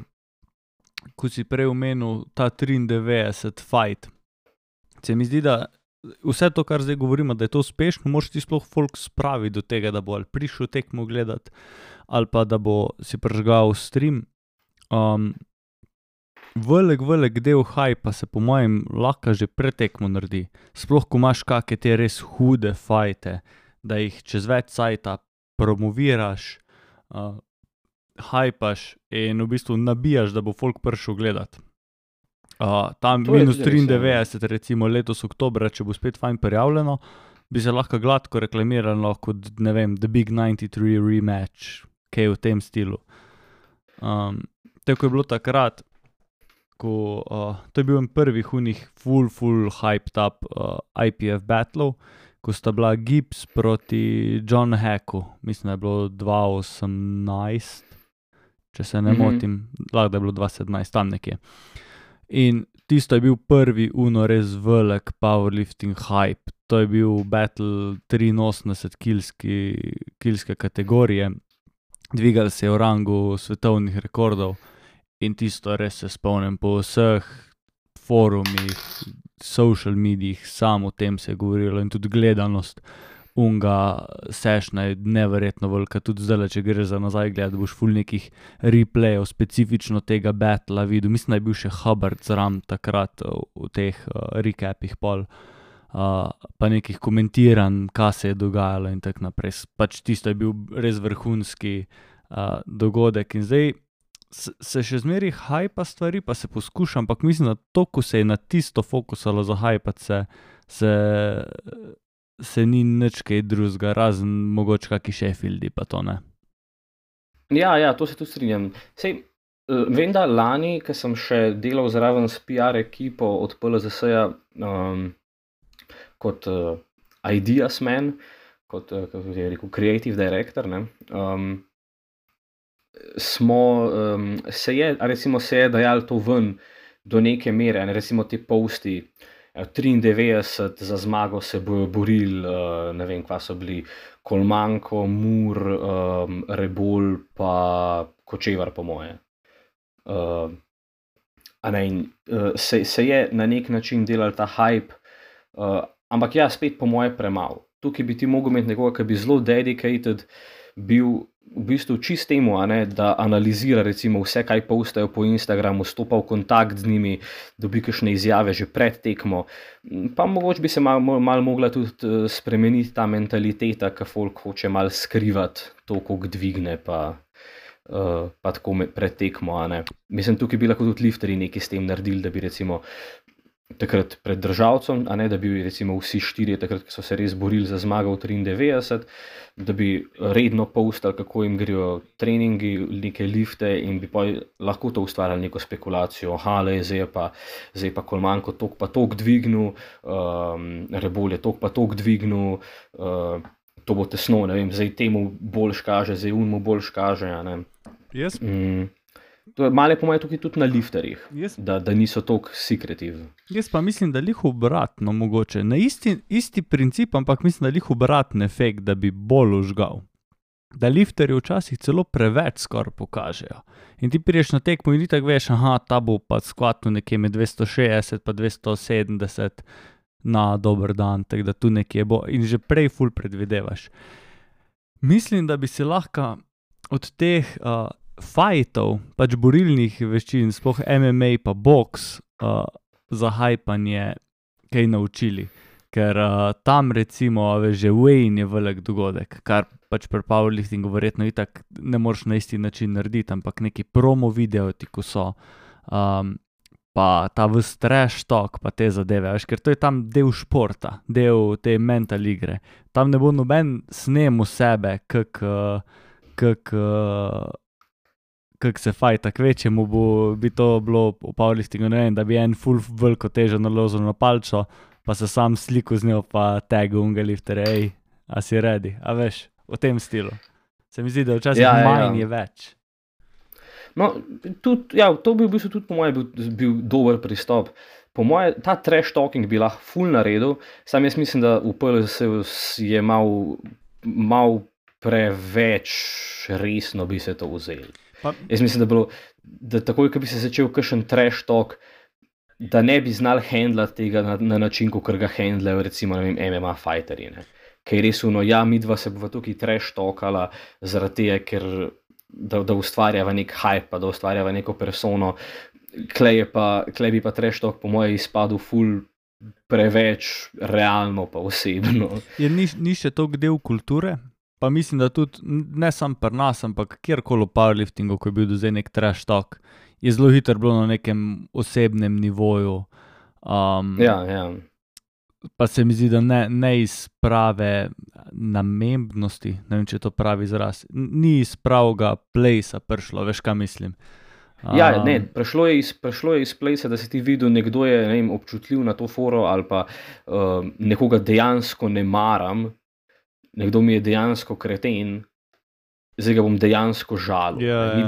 ko si prej omenil ta 93 fight. Se mi zdi, da vse to, kar zdaj govorimo, da je to uspešno, moraš ti sploh folk spraviti do tega, da bo ali prišel tekmo gledat, ali pa da bo si prižgal stream. Velik del hypa se po mojem lahko že pred tekmo naredi. Sploh, ko imaš kake te res hude fajte, da jih čez več cajta promoviraš, hypaš in v bistvu nabijaš, da bo folk prišel gledat. Tam minus 93 recimo letos oktobra, če bo spet fajn prijavljeno, bi se lahko gladko reklamiralo kot, ne vem, The Big 93 Rematch, kaj v tem stilu. Tako je bilo takrat, ko, to je bil en prvih unih full hyped up IPF battlov, ko sta bila Gibbs proti John Hacku, mislim, da je bilo 2018, če se ne motim, lahko da je bilo 2017, tam nekje. In tisto je bil prvi res velik powerlifting hype, to je bil battle 83 kilske kategorije, dvigali se je v rangu svetovnih rekordov in tisto res se spomnim po vseh forumih, social medijih, samo o tem se je govorilo in tudi gledanost unga sešna je neverjetno velika, tudi zdaj, če gre za nazaj gledati, boš ful nekih replayov specifično tega battla videl, mislim, da je bil še Hubbard zraven takrat v teh recapih pol, pa nekih komentiranj, kaj se je dogajalo in tako naprej, pač tisto je bil res vrhunski dogodek in zdaj se še zmeri hypa stvari, pa se poskuša, ampak mislim, da to, ko se je na tisto fokusalo za hypat se ni nič kaj drugega, razen mogoče kaki Sheffieldi pa to, ne. Ja, to se tudi strinjam. Sej, vem, da lani, ko sem še delal zraven s PR ekipo od PLZS-ja kot ideas man, kot, kako je rekel, creative director, ne, se je dajalo to ven do neke mere, ne, recimo ti posti, 93 za zmago se bojo borili, ne vem, kva so bili, Kolmanko, Mur, Rebol pa Kočevar po moje. Se je na nek način delal ta hype, ampak ja, spet po moje premalo. Tukaj bi ti mogel imeti nekoga, ki bi zelo dedicated bil v bistvu čist temu, da analizira recimo vse, kaj postajo po Instagramu, stopa v kontakt z njimi, dobi kakšne izjave že pred tekmo, pa mogoče bi se malo mogla tudi spremeniti ta mentaliteta, ki folk hoče malo skrivati to, koliko dvigne, pa tako pred tekmo, Mislim, tukaj bi lahko tudi lifterji nekaj s tem naredili, da bi recimo takrat pred državcem, a ne, da bi recimo vsi štirje takrat, ki so se res borili za zmago v 93, da bi redno postali, kako jim grejo treningi, neke lifte in bi pa lahko to ustvarjali neko spekulacijo. Zdaj pa Kolmanko tok pa tok dvignil, Rebolj je tok pa tok dvignil, to bo tesno, ne vem, zdaj temu boljš kaže, zdaj unmu boljš kaže, a ne. Jaz, To je malo po mojem tukaj tudi na lifterjih, jaz, da niso toliko secretive. jaz pa mislim, da lih obratno mogoče. Na isti princip, ampak mislim, da lih obraten efekt, da bi bolj užgal. Da lifterji včasih celo preveč skoraj pokažejo. In ti prideš na tekmo in ti tako veš, ta bo pa skvatno nekje med 260 pa 270 na dober dan, tako da tu nekje bo. In že prej ful predvidevaš. Mislim, da bi se lahko od teh fightov, pač borilnih veščin, sploh MMA pa boks, za hajpanje kaj naučili. Ker tam recimo, veš, že Wayne je velik dogodek, kar pač pri powerliftingu verjetno itak ne moreš na isti način narediti, ampak neki promo video ti, ko so, pa ta ves trash talk, pa te zadeve, veš, ker to je tam del športa, del te mental igre. Tam ne bo noben snem v sebe, kak se fajta, kvečemu bi to bilo v powerliftingu, ne vem, da bi en full veliko težo naložil na palčo, pa se sam sliku z njo, pa tagel unga lifterja, a si ready, a veš, v tem stilu. Se mi zdi, da včasih manj je več. No, tudi, to bi v bistvu tudi po mojem bil dober pristop. Po mojem, ta trash talking bi lahko ful naredil, sam jaz mislim, da v PLS je mal preveč resno bi se to vzeli. Jaz mislim, da takoj, ko bi se začel kakšen trash talk, da ne bi znali handlati tega na način, kot ga handlajo recimo, ne vem, MMA fighterji, ne. Ker je res midva se bova tukaj trash talkala zaradi tega, ker da ustvarjava nek hype, pa da ustvarjava neko persono. Klej bi pa trash talk po moje izpadel ful preveč realno pa osebno. Ni še toliko del kulture? Pa mislim, da tudi ne samo pri nas, ampak kjerkoli v powerliftingu, ko je bil do zdaj nek trash talk, je zelo hitro bilo na nekem osebnem nivoju. Ja. Pa se mi zdi, da ne iz prave namembnosti, ne vem, če je to pravi izraz, ni iz pravega placea prišlo, veš, kaj mislim. Prišlo je iz placea, da si ti videl, nekdo je, ne vem, občutljiv na to foro ali pa nekoga dejansko ne maram, nekdo mi je dejansko kreten, zdaj ga bom dejansko žalil.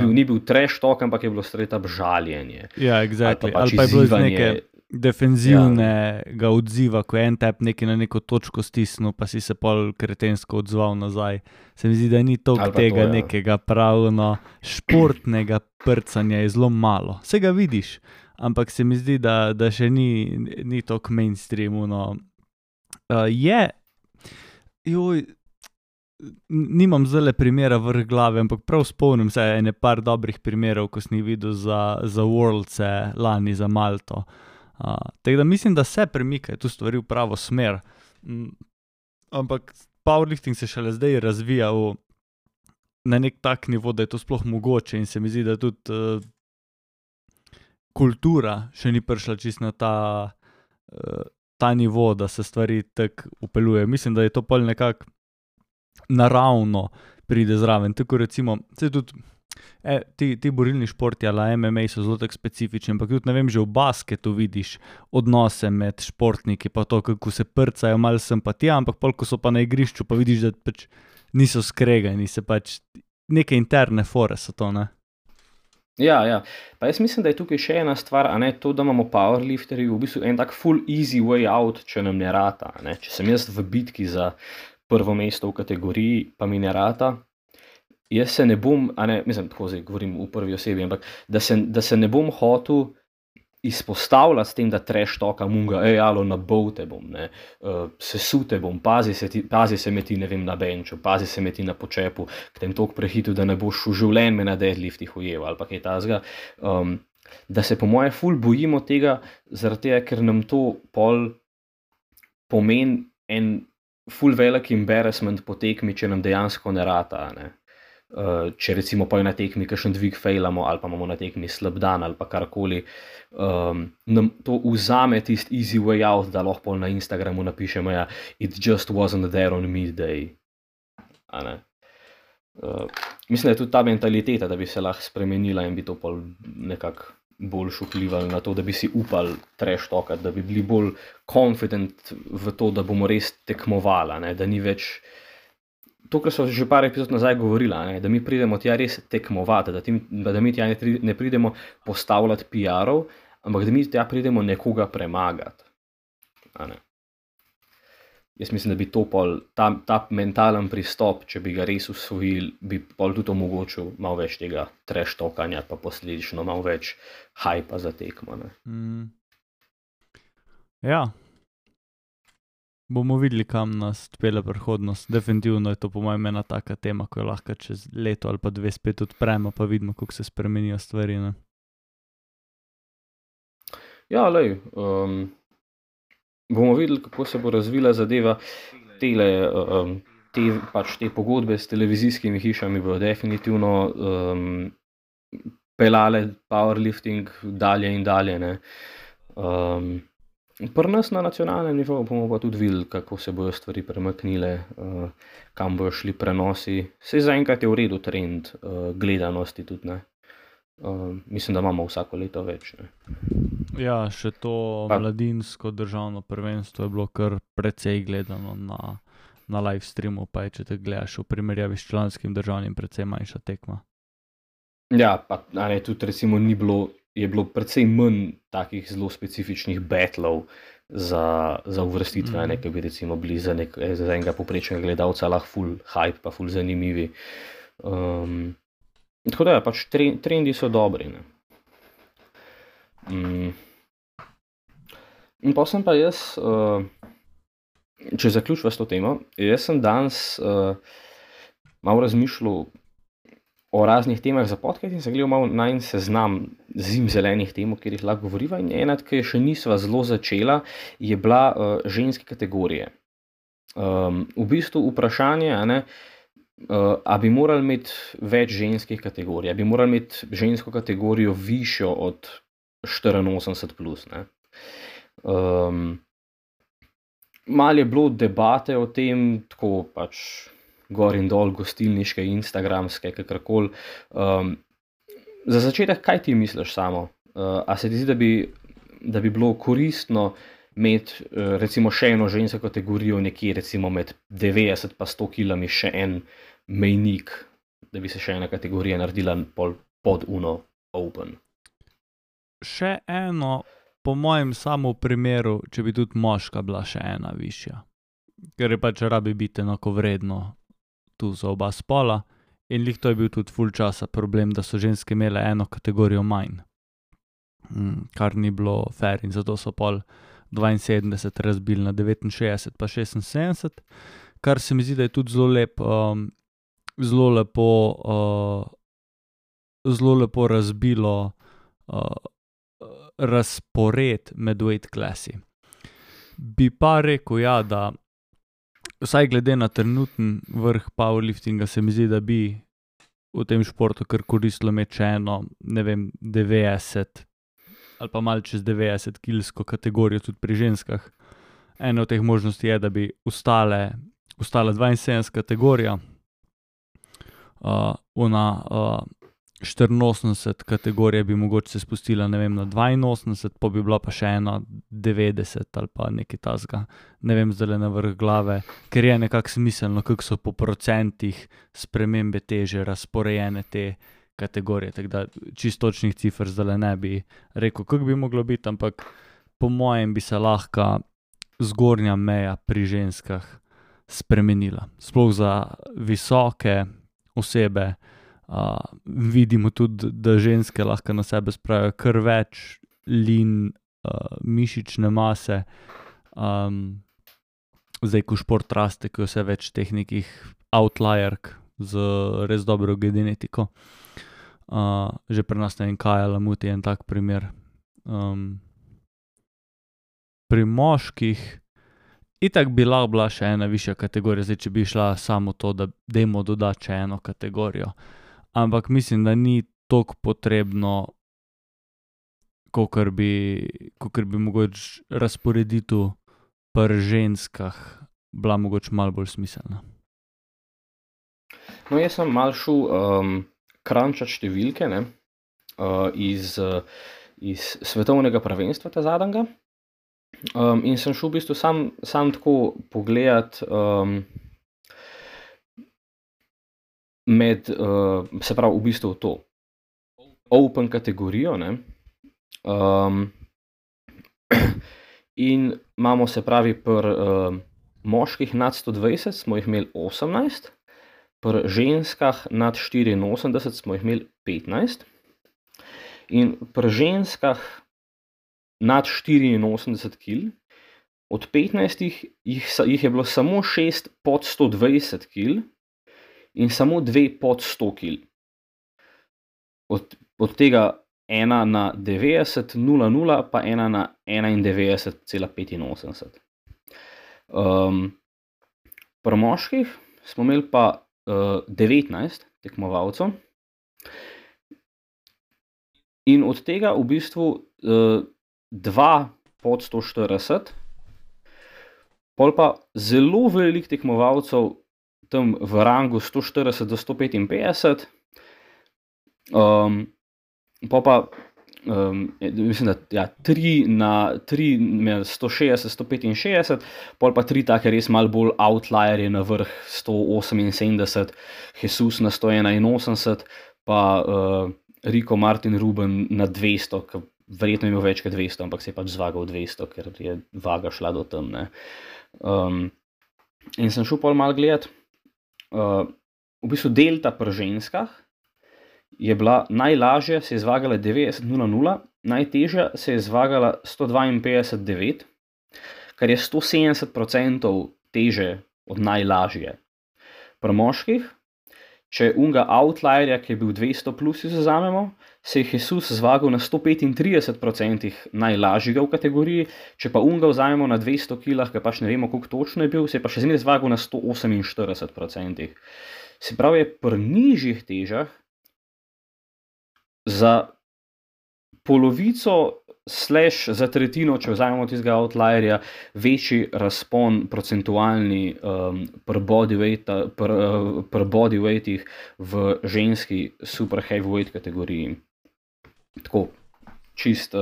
Ni bil trash talk, ampak je bilo straight up žaljenje. Ja, exactly. Ali pa je bilo iz neke defenzivnega odziva, ko je en tep nekaj na neko točko stisnil, pa si se pol kretensko odzval nazaj. Se mi zdi, da ni toliko tega nekega pravno športnega prcanja, je zelo malo. Vse ga vidiš, ampak se mi zdi, da še ni toliko mainstreamu. Nimam zdajle primera vrh glave, ampak prav spomnim se ene par dobrih primerov, ko sem jih videl za Worldse lani za Malto. Tako da mislim, da se premikajo tu stvari v pravo smer. Ampak powerlifting se šele zdaj razvija na nek tak nivo, da je to sploh mogoče in se mi zdi, da tudi kultura še ni prišla čisto na ta nivo, da se stvari tako upeljuje. Mislim, da je to pol nekako naravno pride zraven. Tako recimo, se tudi ti borilni športi ali MMA so zelo tako specifični, ampak tudi, ne vem, že v basketu vidiš odnose med športniki, pa to, kako se prcajo, malo simpatija, ampak pol, ko so pa na igrišču, pa vidiš, da pač niso skregani, se pač neke interne fore so to, ne? Ja. Pa jaz mislim, da je tukaj še ena stvar, a ne, to, da imamo powerlifterji v bistvu en tak full easy way out, če nam ne rata, ne. Če sem jaz v bitki za prvo mesto v kategoriji, pa mi ne rata, jaz se ne bom, mislim, tako zdaj govorim v prvi osebi, ampak da se ne bom hotel izpostavljati s tem, da trash talkam unga, alo, nabol te bom, ne, sesute bom, pazi se me ti, ne vem, na benču, pazi se me ti na počepu, k tem toliko prehitu, da ne boš v življenju me na deadliftih ujel, ali pa kaj tazga. Da se po moje ful bojimo tega, zaradi tega, ker nam to pol pomeni en ful velik embarrassment po tekmi, če nam dejansko ne rata, ne. če recimo pa je na tekmi kakšen dvig failamo ali pa imamo na tekmi slab dan ali pa karkoli, nam to vzame tisti easy way out, da lahko na Instagramu napišemo, ja, it just wasn't there on me day. A ne? Mislim, da je tudi ta mentaliteta, da bi se lahko spremenila in bi to pol nekako bolj vplivali na to, da bi si upali trash talkati, da bi bili bolj confident v to, da bomo res tekmovali, ne? Da ni več to, kar so že par epizod nazaj govorila, ne? Da mi pridemo tja res tekmovati, da mi tja ne pridemo postavljati PR-ov, ampak da mi tja pridemo nekoga premagati. A ne? Jaz mislim, da bi to pol, ta mentalen pristop, če bi ga res usvojili, bi pol tudi omogočil malo več tega trash talkanja, pa posledično malo več hypa za tekmo. Ne? Ja. Bomo videli, kam nas odpelje prihodnost. Definitivno je to po mojem ena taka tema, ko jo lahko čez leto ali pa 2 spet odpremo, pa vidimo, kako se spremenijo stvari. Ne? Ja, lej, bomo videli, kako se bo razvila zadeva. Te pogodbe s televizijskimi hišami bodo definitivno pelale powerlifting dalje in dalje. Ne? Pri nas na nacionalnem nivoju bomo pa tudi videli, kako se bodo stvari premaknile, kam bojo šli prenosi. Saj zaenkrat je v redu trend gledanosti tudi, ne. Mislim, da imamo vsako leto več, ne. Ja, še to mladinsko državno prvenstvo je bilo kar precej gledano na live streamu, pa če te gledaš v primerjavi s članskim državnim, precej manjša tekma. Ja, pa ne, tudi recimo je bilo precej manj takih zelo specifičnih battlov za uvrstitve, ne, ki bi recimo bili za enega povprečnega gledalca lahko full hype, pa full zanimivi. Tako da, pač trendi so dobri, ne. In pa sem pa jaz, če zaključiva s to temo, jaz sem danes malo razmišljal o raznih temah za podcast in sem gledal malo najin seznam zimzelenih tem, o katerih lahko govoriva, in ena, ki še nisva zelo začela, je bila ženske kategorije. V bistvu vprašanje, a ne, a bi morali imeti več ženskih kategorij, a bi morali imeti žensko kategorijo višjo od 84+, ne. Malo je bilo debate o tem, tako pač gor in dol, gostilniške, instagramske, kakorkoli. Za začetek, kaj ti misliš samo? A se ti zdi, da bi bilo koristno imeti recimo še eno žensko kategorijo nekje recimo med 90 pa 100 kilami še en mejnik, da bi se še ena kategorija naredila pod uno open? Še eno, po mojem samo primeru, če bi tudi moška bila še ena višja. Ker je pač rabi biti enakovredno tu za oba spola in glih to je bil tudi ful časa problem, da so ženske imele eno kategorijo manj. Kar ni bilo fair in zato so pol 72 razbili na 69 pa 76, kar se mi zdi, da je tudi zelo lepo razbilo razpored med weight classi. Bi pa rekel, ja, da vsaj glede na trenuten vrh powerliftinga se mi zdi, da bi v tem športu kar koristilo imeti še eno, ne vem, 90 ali pa malo čez 90 kilsko kategorijo tudi pri ženskah. Ena od teh možnosti je, da bi ostala 72 kategorija, 84 kategorija bi mogoče se spustila, ne vem, na 82, pa bi bila pa še ena 90 ali pa nekaj tasga, ne vem zdajle na vrh glave, ker je nekako smiselno, kako so po procentih spremembe teže razporejene te kategorije, tako da čisto točnih cifer zdajle ne bi rekel, kako bi moglo biti, ampak po mojem bi se lahko zgornja meja pri ženskah spremenila. Sploh za visoke osebe, vidimo tudi, da ženske lahko na sebe spravijo kar več mišične mase. Zdaj, ko šport raste, ko je vse več teh nekih outlierk z res dobro genetiko. Že pri nas, ne vem, Kaja Lamuti je en tak primer. Pri moških Itak bi lahko bila še ena višja kategorija, zdaj če bi šla samo to, da dajmo dodati še eno kategorijo. Ampak mislim, da ni toliko potrebno, kakor bi mogoče razporeditev pri ženskah bila mogoče malo bolj smiselna. No, jaz sem malo šel crunčat številke, ne, iz svetovnega prvenstva ta zadnjega. In sem šel v bistvu sam tako pogledat med, se pravi, v bistvu to open kategorijo, ne. In imamo, se pravi, pri moških nad 120 smo jih imeli 18, pri ženskah nad 84 smo jih imeli 15 in pri ženskah nad 84 kg, od 15 jih je bilo samo 6 pod 120 kg in samo 2 pod 100 kg. Od tega ena na 90,00 pa ena na 91,85. Pri moških smo imeli pa 19 tekmovalcev in od tega v bistvu 2 pod 140, pol pa zelo veliko tekmovalcev tam v rangu 140 do 155, pol pa mislim, da ja, 3 med 160, 165, pol pa 3 take res malo bolj outlierje na vrh 178, Jesus na 181, pa Rico Martin Ruben na 200, ki verjetno je imel več kot 200, ampak se je pač zvagal 200, ker je vaga šla do tam, ne. In sem šel pol malo gledat, v bistvu delta pri ženskah je bila najlažja, se je zvagala 90,00, najtežja se je zvagala 152,9, kar je 170% teže od najlažje. Pri moških, če unga outlierja, ki je bil 200 plus, vzamemo, se je Jesus zvagal na 135% najlažjega v kategoriji, če pa unga vzamemo na 200 kilah, ki pač ne vemo, koliko točno je bil, se je pa še zmeraj zvagal na 148%. Se pravi, je pri nižjih težah za polovico / za tretjino, če vzamemo tistega outlierja, večji razpon procentualni pri bodyweightih v ženski super heavyweight kategoriji. Tako, čist,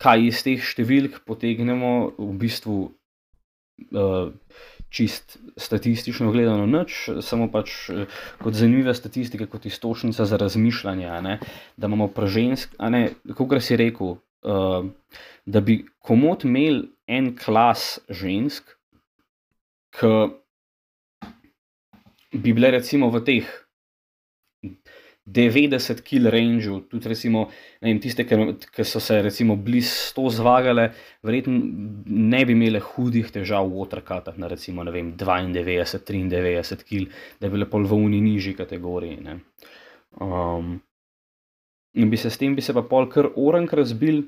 kaj iz teh številk potegnemo, v bistvu čist statistično gledano nič, samo pač kot zanimiva statistika, kot iztočnica za razmišljanje, ne, da imamo pri kakor si rekel, da bi komot imeli en klas žensk, ki bi bile recimo v teh 90 kg range, tudi recimo, ne vem, tiste, ki so se recimo blizu 100 zvagale, verjetno ne bi imele hudih težav v watercutah na recimo, ne vem, 92, 93 kg, da bi bile pol v uni nižji kategoriji, ne. In bi se s tem pa pol kar orenk razbil,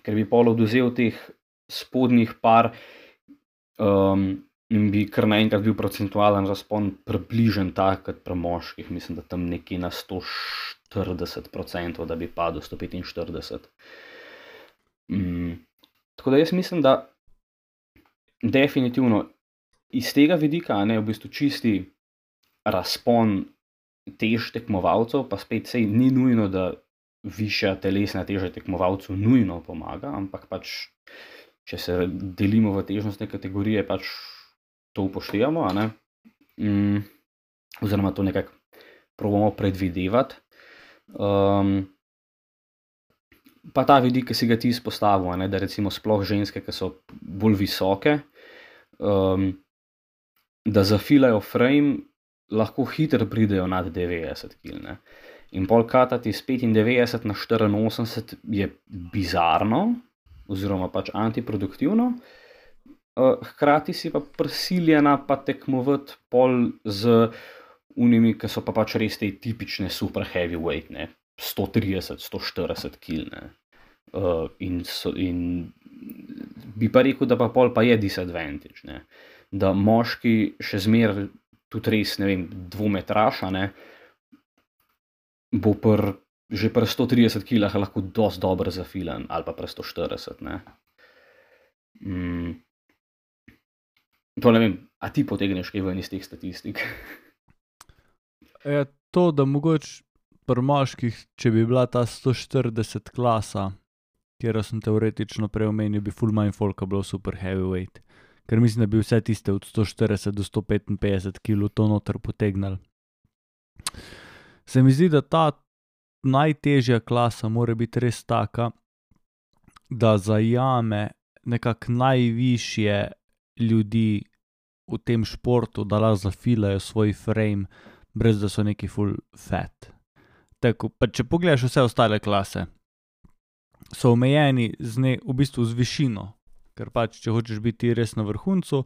ker bi pol odvzel teh spodnjih par in bi kar naenkrat bil procentualen razpon približen tak kot pri moških, mislim, da tam nekje na 140%, da bi padel 145. Tako da jaz mislim, da definitivno iz tega vidika, ne, v bistvu čisti razpon tež tekmovalcev, pa spet sej ni nujno, da višja telesna teža tekmovalcu nujno pomaga, ampak pač, če se delimo v težnostne kategorije, pač to upoštevamo, a ne, oziroma to nekako probamo predvidevati. Pa ta vidik, ki si ga ti izpostavil, a ne, da recimo sploh ženske, ki so bolj visoke, da zafilajo frame, lahko hitro pridejo nad 90 kg, ne. In pol katati iz 95 na 84 je bizarno, oziroma pač antiproduktivno, hkrati si pa prisiljena pa tekmovati pol z unimi, ki so pa pač res te tipične super heavyweight, ne, 130, 140 kg, ne. In bi pa rekel, da pa pol pa je disadvantage, ne? Da moški še zmeraj tudi res, ne vem, dvometraša, ne, bo že pri 130 kilah lahko dosti dobro zafilan, ali pa pri 140, ne. To ne vem, a ti potegneš kaj ven iz teh statistik? Je to, da mogoče pri moških, če bi bila ta 140 klasa, kjer sem teoretično prej omenil, bi full manj folka bilo super heavyweight. Ker mislim, da bi vse tiste od 140 do 155 kg to noter potegnili. Se mi zdi, da ta najtežja klasa mora biti res taka, da zajame nekako najvišje ljudi v tem športu, da lahko zafilajo svoj frame, brez da so neki full fat. Tako, pa če pogledaš vse ostale klase, so omejeni v bistvu z višino, ker pač, če hočeš biti res na vrhuncu,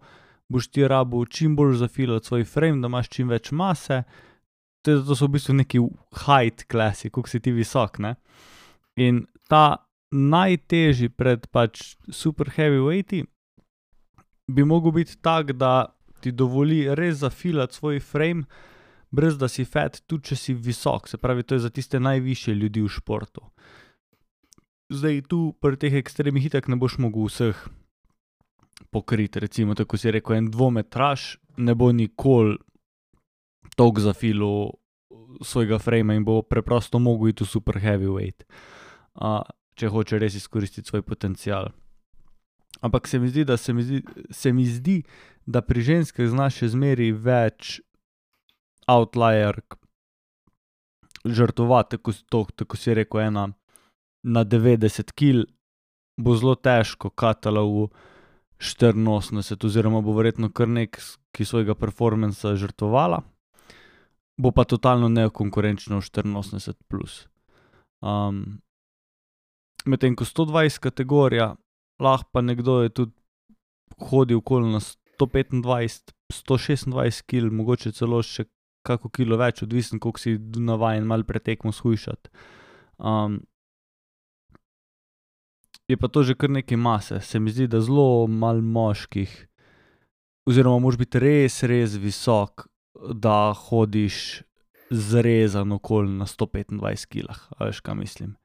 boš ti rabil čim bolj zafilati svoj frame, da imaš čim več mase, to so v bistvu neki height klasi, koliko si ti visok, ne. In ta najtežji pred pač super heavyweighti bi mogel biti tak, da ti dovoli res zafilati svoj frame, brez da si fat, tudi če si visok, se pravi, to je za tiste najvišje ljudi v športu. Zdaj, tu pri teh ekstremih itak ne boš mogel vseh pokriti, recimo, tako si rekel, en dvometraš ne bo nikoli toliko zafilal svojega frame in bo preprosto mogel iti v super heavyweight, če hoče res izkoristiti svoj potencial. Ampak se mi zdi, da pri ženskah znaš še zmeraj več outlier žrtvovati, tako si rekel, ena na 90 kil bo zelo težko katala v 84, oziroma bo verjetno kar ki svojega performansa žrtvovala, bo pa totalno nekonkurenčno v 84 plus. Medtem ko 120 kategorija, lahko pa nekdo je tudi hodil okoli na 125, 126 kil, mogoče celo še kako kilo več, odvisno koliko si navajen malo pretekmo shujšati. Je pa to že kar nekaj mase, se mi zdi, da zelo malo moških, oziroma moraš biti res, res visok, da hodiš zrezan okoli na 125 kilah, a veš, kaj mislim.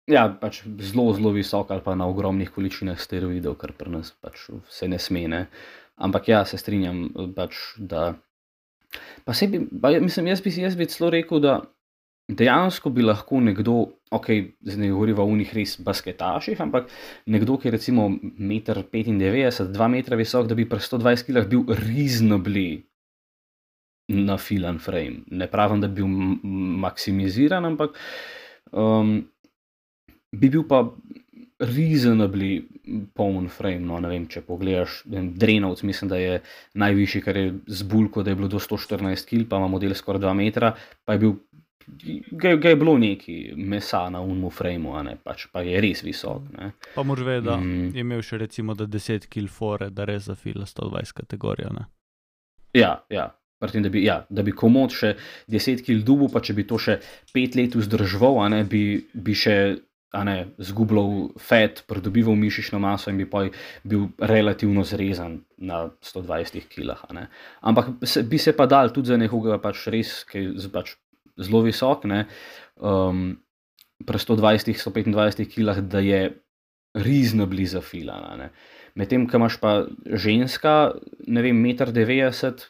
Ja, pač zelo, zelo visok ali pa na ogromnih količinah steroidov, kar pri nas pač se ne sme, ne. Ampak ja, se strinjam, pač, da jaz bi celo rekel, da dejansko bi lahko nekdo, zdaj ne govoriva o unih res basketaših, ampak nekdo, ki je recimo 1,95 m, 2 metra visok, da bi pri 120 kilah bil reasonably nafilan frame. Ne pravim, da bi bil maksimiziran, ampak bi bil pa reasonably poln frame, no, ne vem, če pogledaš, Drenovc, mislim, da je najvišji, kar je z bulko, da je bilo do 114 kil, pa ima model skoraj 2 metra, pa je bil, ga je bilo neki mesa na unmu frame-u, a ne, pač pa je res visok, ne. Pa moraš vedeti, da je imel še recimo da 10 kil fore, da res zafila 120 kategorijo, ne. Ja, pri tem, da bi komod še 10 kil dubu, pa če bi to še 5 let vzdrževal, a ne, bi še, a ne, zgubljal fat, pridobival mišično maso in bi pa bil relativno zrezan na 120 kilah, a ne. Ampak bi se pa dal tudi za nekoga pač res, ki je pač zelo visok, ne, pri 120, 125 kilah, da je reasonably zafilana, ne. Medtem, ko imaš pa ženska, ne vem, 1,90 m,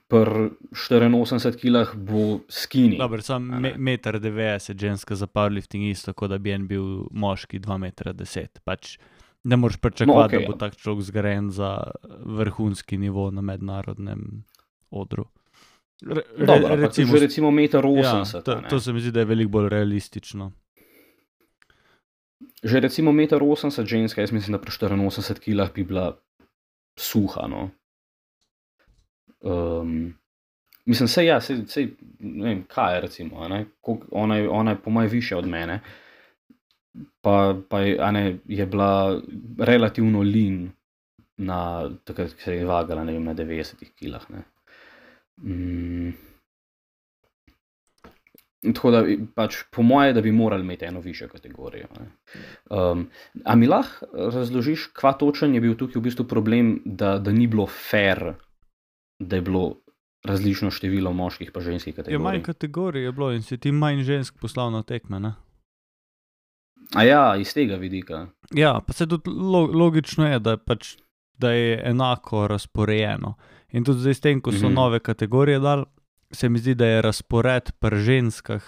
pri 84 kilah bo skinny. Dobro, sam 1,90 m ženska za powerlifting isto, kot da bi en bil moški 2,10 m. Pač ne moreš pričakovati, da bo tak človek zgrajen za vrhunski nivo na mednarodnem odru. Recimo 1,80 m. To se mi zdi, da je veliko bolj realistično. Že recimo 1,80 m ženska, jaz mislim, da pri 84 kilah bi bila suha, no. Mislim, sej, ne vem, kaj je recimo, a ne, ona je po moje višja od mene, pa a ne, je bila relativno lean na, takrat, ko se je vagala, ne vem, na 90 kilah, ne. Tako da pač po moje, da bi morali imeti eno višjo kategorijo. A mi lahko razložiš, kva točen je bil tukaj v bistvu problem, da ni bilo fair, da je bilo različno število moških pa ženskih kategorij? Manj kategorij je bilo in si ti manj žensk poslal na tekme, ne? A ja, iz tega vidika. Ja, pa se tudi logično je, da je enako razporejeno. In tudi zdaj s tem, ko so nove kategorije dali, se mi zdi, da je razpored pri ženskah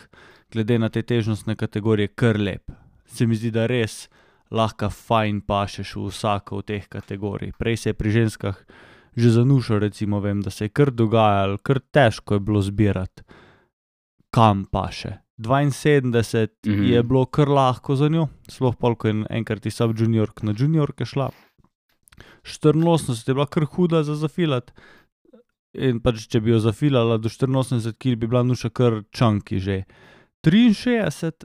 glede na te težnostne kategorije kar lep. Se mi zdi, da res lahko fajn pašeš v vsako od teh kategorij. Prej se je pri ženskah že zanušal, recimo, vem, da se je kar dogajalo, kar težko je bilo zbirati, kam paše. 72 je bilo kar lahko za njo, sploh pol, ko je enkrat iz sub-juniork na juniorke šla. 84 je bila kar huda za zafilat. In pač, če bi jo zafilala do 84 kg, bi bila Nuša kar čunky že. 63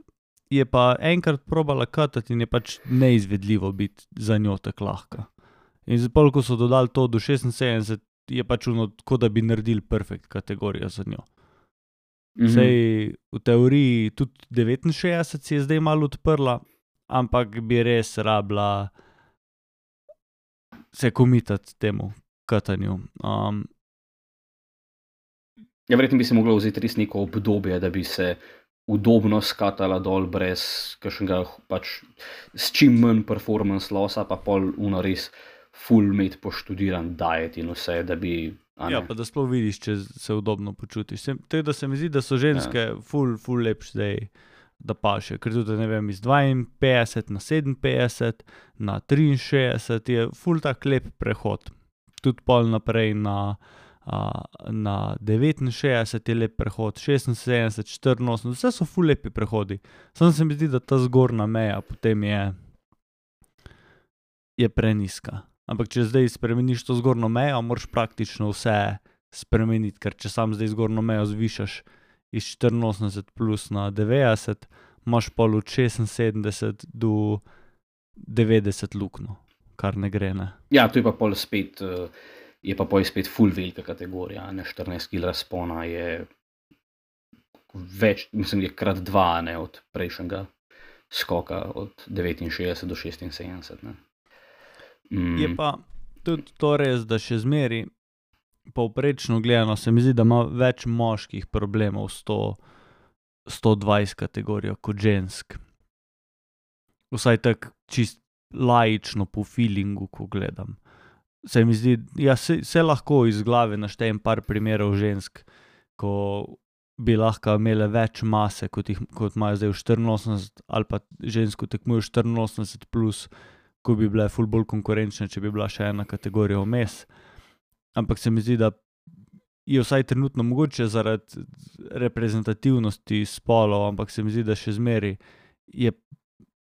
je pa enkrat probala katati in je pač neizvedljivo biti za njo tako lahka. In zdaj, ko so dodali to do 76, je pač tako, da bi naredili perfekt kategorijo za njo. Sej v teoriji tudi 69 si je zdaj malo odprla, ampak bi res rabila se komitati temu katanju. Ja, verjetno bi se moglo vzeti res neko obdobje, da bi se udobno skatala dol brez kakšnega pač s čim manj performance lossa, pa pol res full mate poštudiran diet in vse, da bi... Ja, pa da sploh vidiš, če se udobno počutiš. Tako da se mi zdi, da so ženske full lepš zdaj, da paše. Ker tudi, ne vem, iz 52 na 57, na 63 je full tak lep prehod. Tudi pol naprej na 69 je lep prehod, 76, 84, vse so full lepi prehodi. Samo se mi zdi, da ta zgornja meja potem je preniska. Ampak če zdaj spremeniš to zgornjo mejo, moraš praktično vse spremeniti, ker če sam zdaj zgornjo mejo zvišaš iz 84 plus na 90, imaš pol od 76 do 90 luknjo, kar ne gre, ne. Ja, to je pa pol spet... Je pa spet full velika kategorija, ne, 14 kg razpona je več, mislim, je krat 2, ne, od prejšnjega skoka, od 69 do 76, ne. Je pa tudi to res, da še zmeri, povprečno gledano, se mi zdi, da ima več moških problemov s to 120 kategorijo kot žensk. Vsaj tako čist laično po feelingu, ko gledam. Se mi zdi, ja, se lahko iz glave naštejem par primerov žensk, ko bi lahko imele več mase, kot imajo zdaj v 84, ali pa žensko tekmujo 84 plus, ko bi bile ful bolj konkurenčne, če bi bila še ena kategorija vmes. Ampak se mi zdi, da je vsaj trenutno mogoče zaradi reprezentativnosti spolov, ampak se mi zdi, da še zmeri je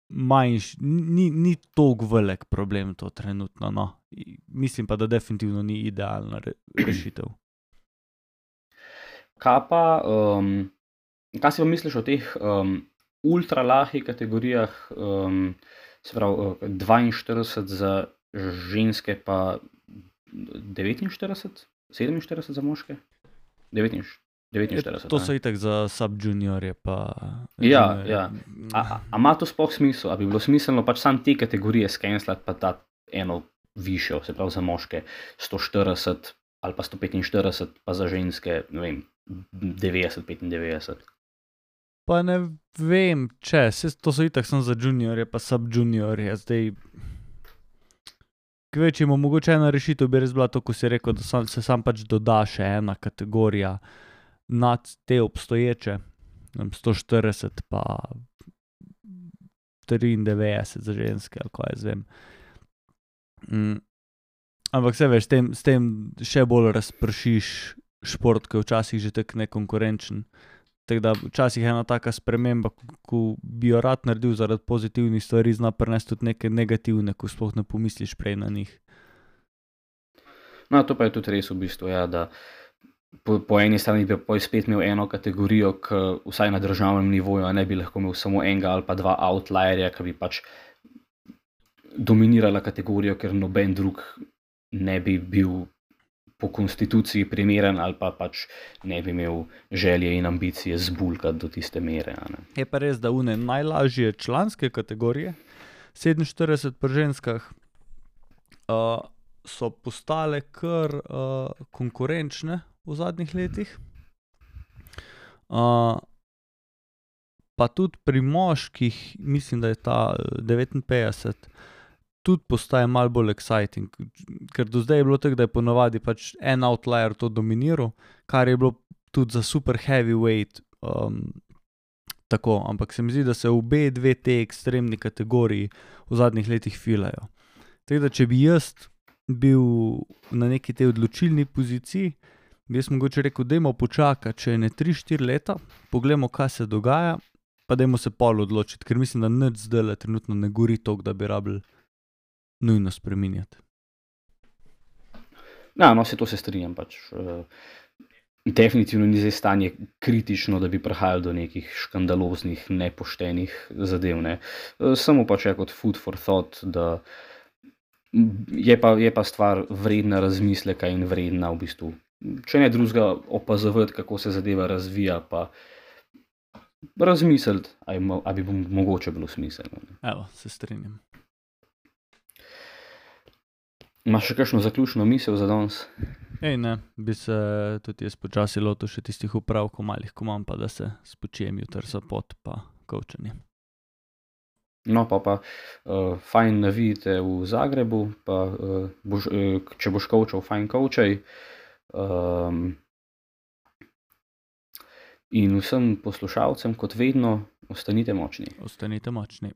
ni toliko velik problem to trenutno, no. Mislim pa, da definitivno ni idealna rešitev. Kaj si pa misliš o teh ultra lahkih kategorijah, se pravi 42 za ženske pa 49, 47 za moške? 49. To so itak za sub-juniorje pa... Ja. A ima to sploh smisel? A bi bilo smiselno pač sam te kategorije skenslati pa dati eno višjo, se pravi za moške 140 ali pa 145, pa za ženske, ne vem, 90, 95? Pa ne vem, to so itak samo za juniorje pa sub-juniorje, zdaj... Kvečimo, mogoče ena rešitev bi res bila to, ko si rekel, da se sam pač doda še ena kategorija nad te obstoječe, 140 pa 93 za ženske, ali kaj jaz vem. Ampak se veš, s tem še bolj razpršiš šport, ki je včasih že tako nekonkurenčen. Tako da včasih ena taka sprememba, ko bi jo rad naredil zaradi pozitivnih stvari, zna prinesti tudi neke negativne, ko sploh ne pomisliš prej na njih. No, to pa je tudi res v bistvu, ja, da po eni strani bi pa spet imel eno kategorijo, ki vsaj na državnem nivoju ne bi lahko imel samo enega ali pa dva outlierja, ki bi pač dominirala kategorijo, ker noben drug ne bi bil po konstituciji primeren ali pa pač ne bi imel želje in ambicije zbulkati do tiste mere. Je pa res, da une najlažje članske kategorije, 47 pri ženskah, so postale kar konkurenčne v zadnjih letih. Pa tudi pri moških, mislim, da je ta 59, tudi postaje malo bolj exciting, ker do zdaj je bilo tako, da je ponavadi pač en outlier to dominiral, kar je bilo tudi za super heavyweight tako, ampak se mi zdi, da se obe dve te ekstremni kategoriji v zadnjih letih filajo. Tako da, če bi jaz bil na neki tej odločilni poziciji, bi jaz mogoče rekel, dajmo počakati, če ne 3-4 leta, poglejmo, kaj se dogaja, pa dajmo se pol odločiti, ker mislim, da nič zdajle trenutno ne gori toliko, da bi rabili nujno spreminjati. Ja, no, to se strinjam pač. Definitivno ni zdaj stanje kritično, da bi prihajali do nekih škandaloznih, nepoštenih zadev, ne. Samo pač kot food for thought, da je pa stvar vredna razmisleka in vredna v bistvu, če ne drugega, opazovati, kako se zadeva razvija, pa razmisliti, a bi mogoče bilo smiselno. Evo, se strinjam. Imaš še kakšno zaključno misel za danes? Ne, bi se tudi jaz počasi lotil še tistih upravkov malih, ko imam, pa da se spočijem jutri za pot pa coachanje. No, pa fajn navidite v Zagrebu, pa če boš coachal, fajn coachaj. In vsem poslušalcem, kot vedno, ostanite močni. Ostanite močni.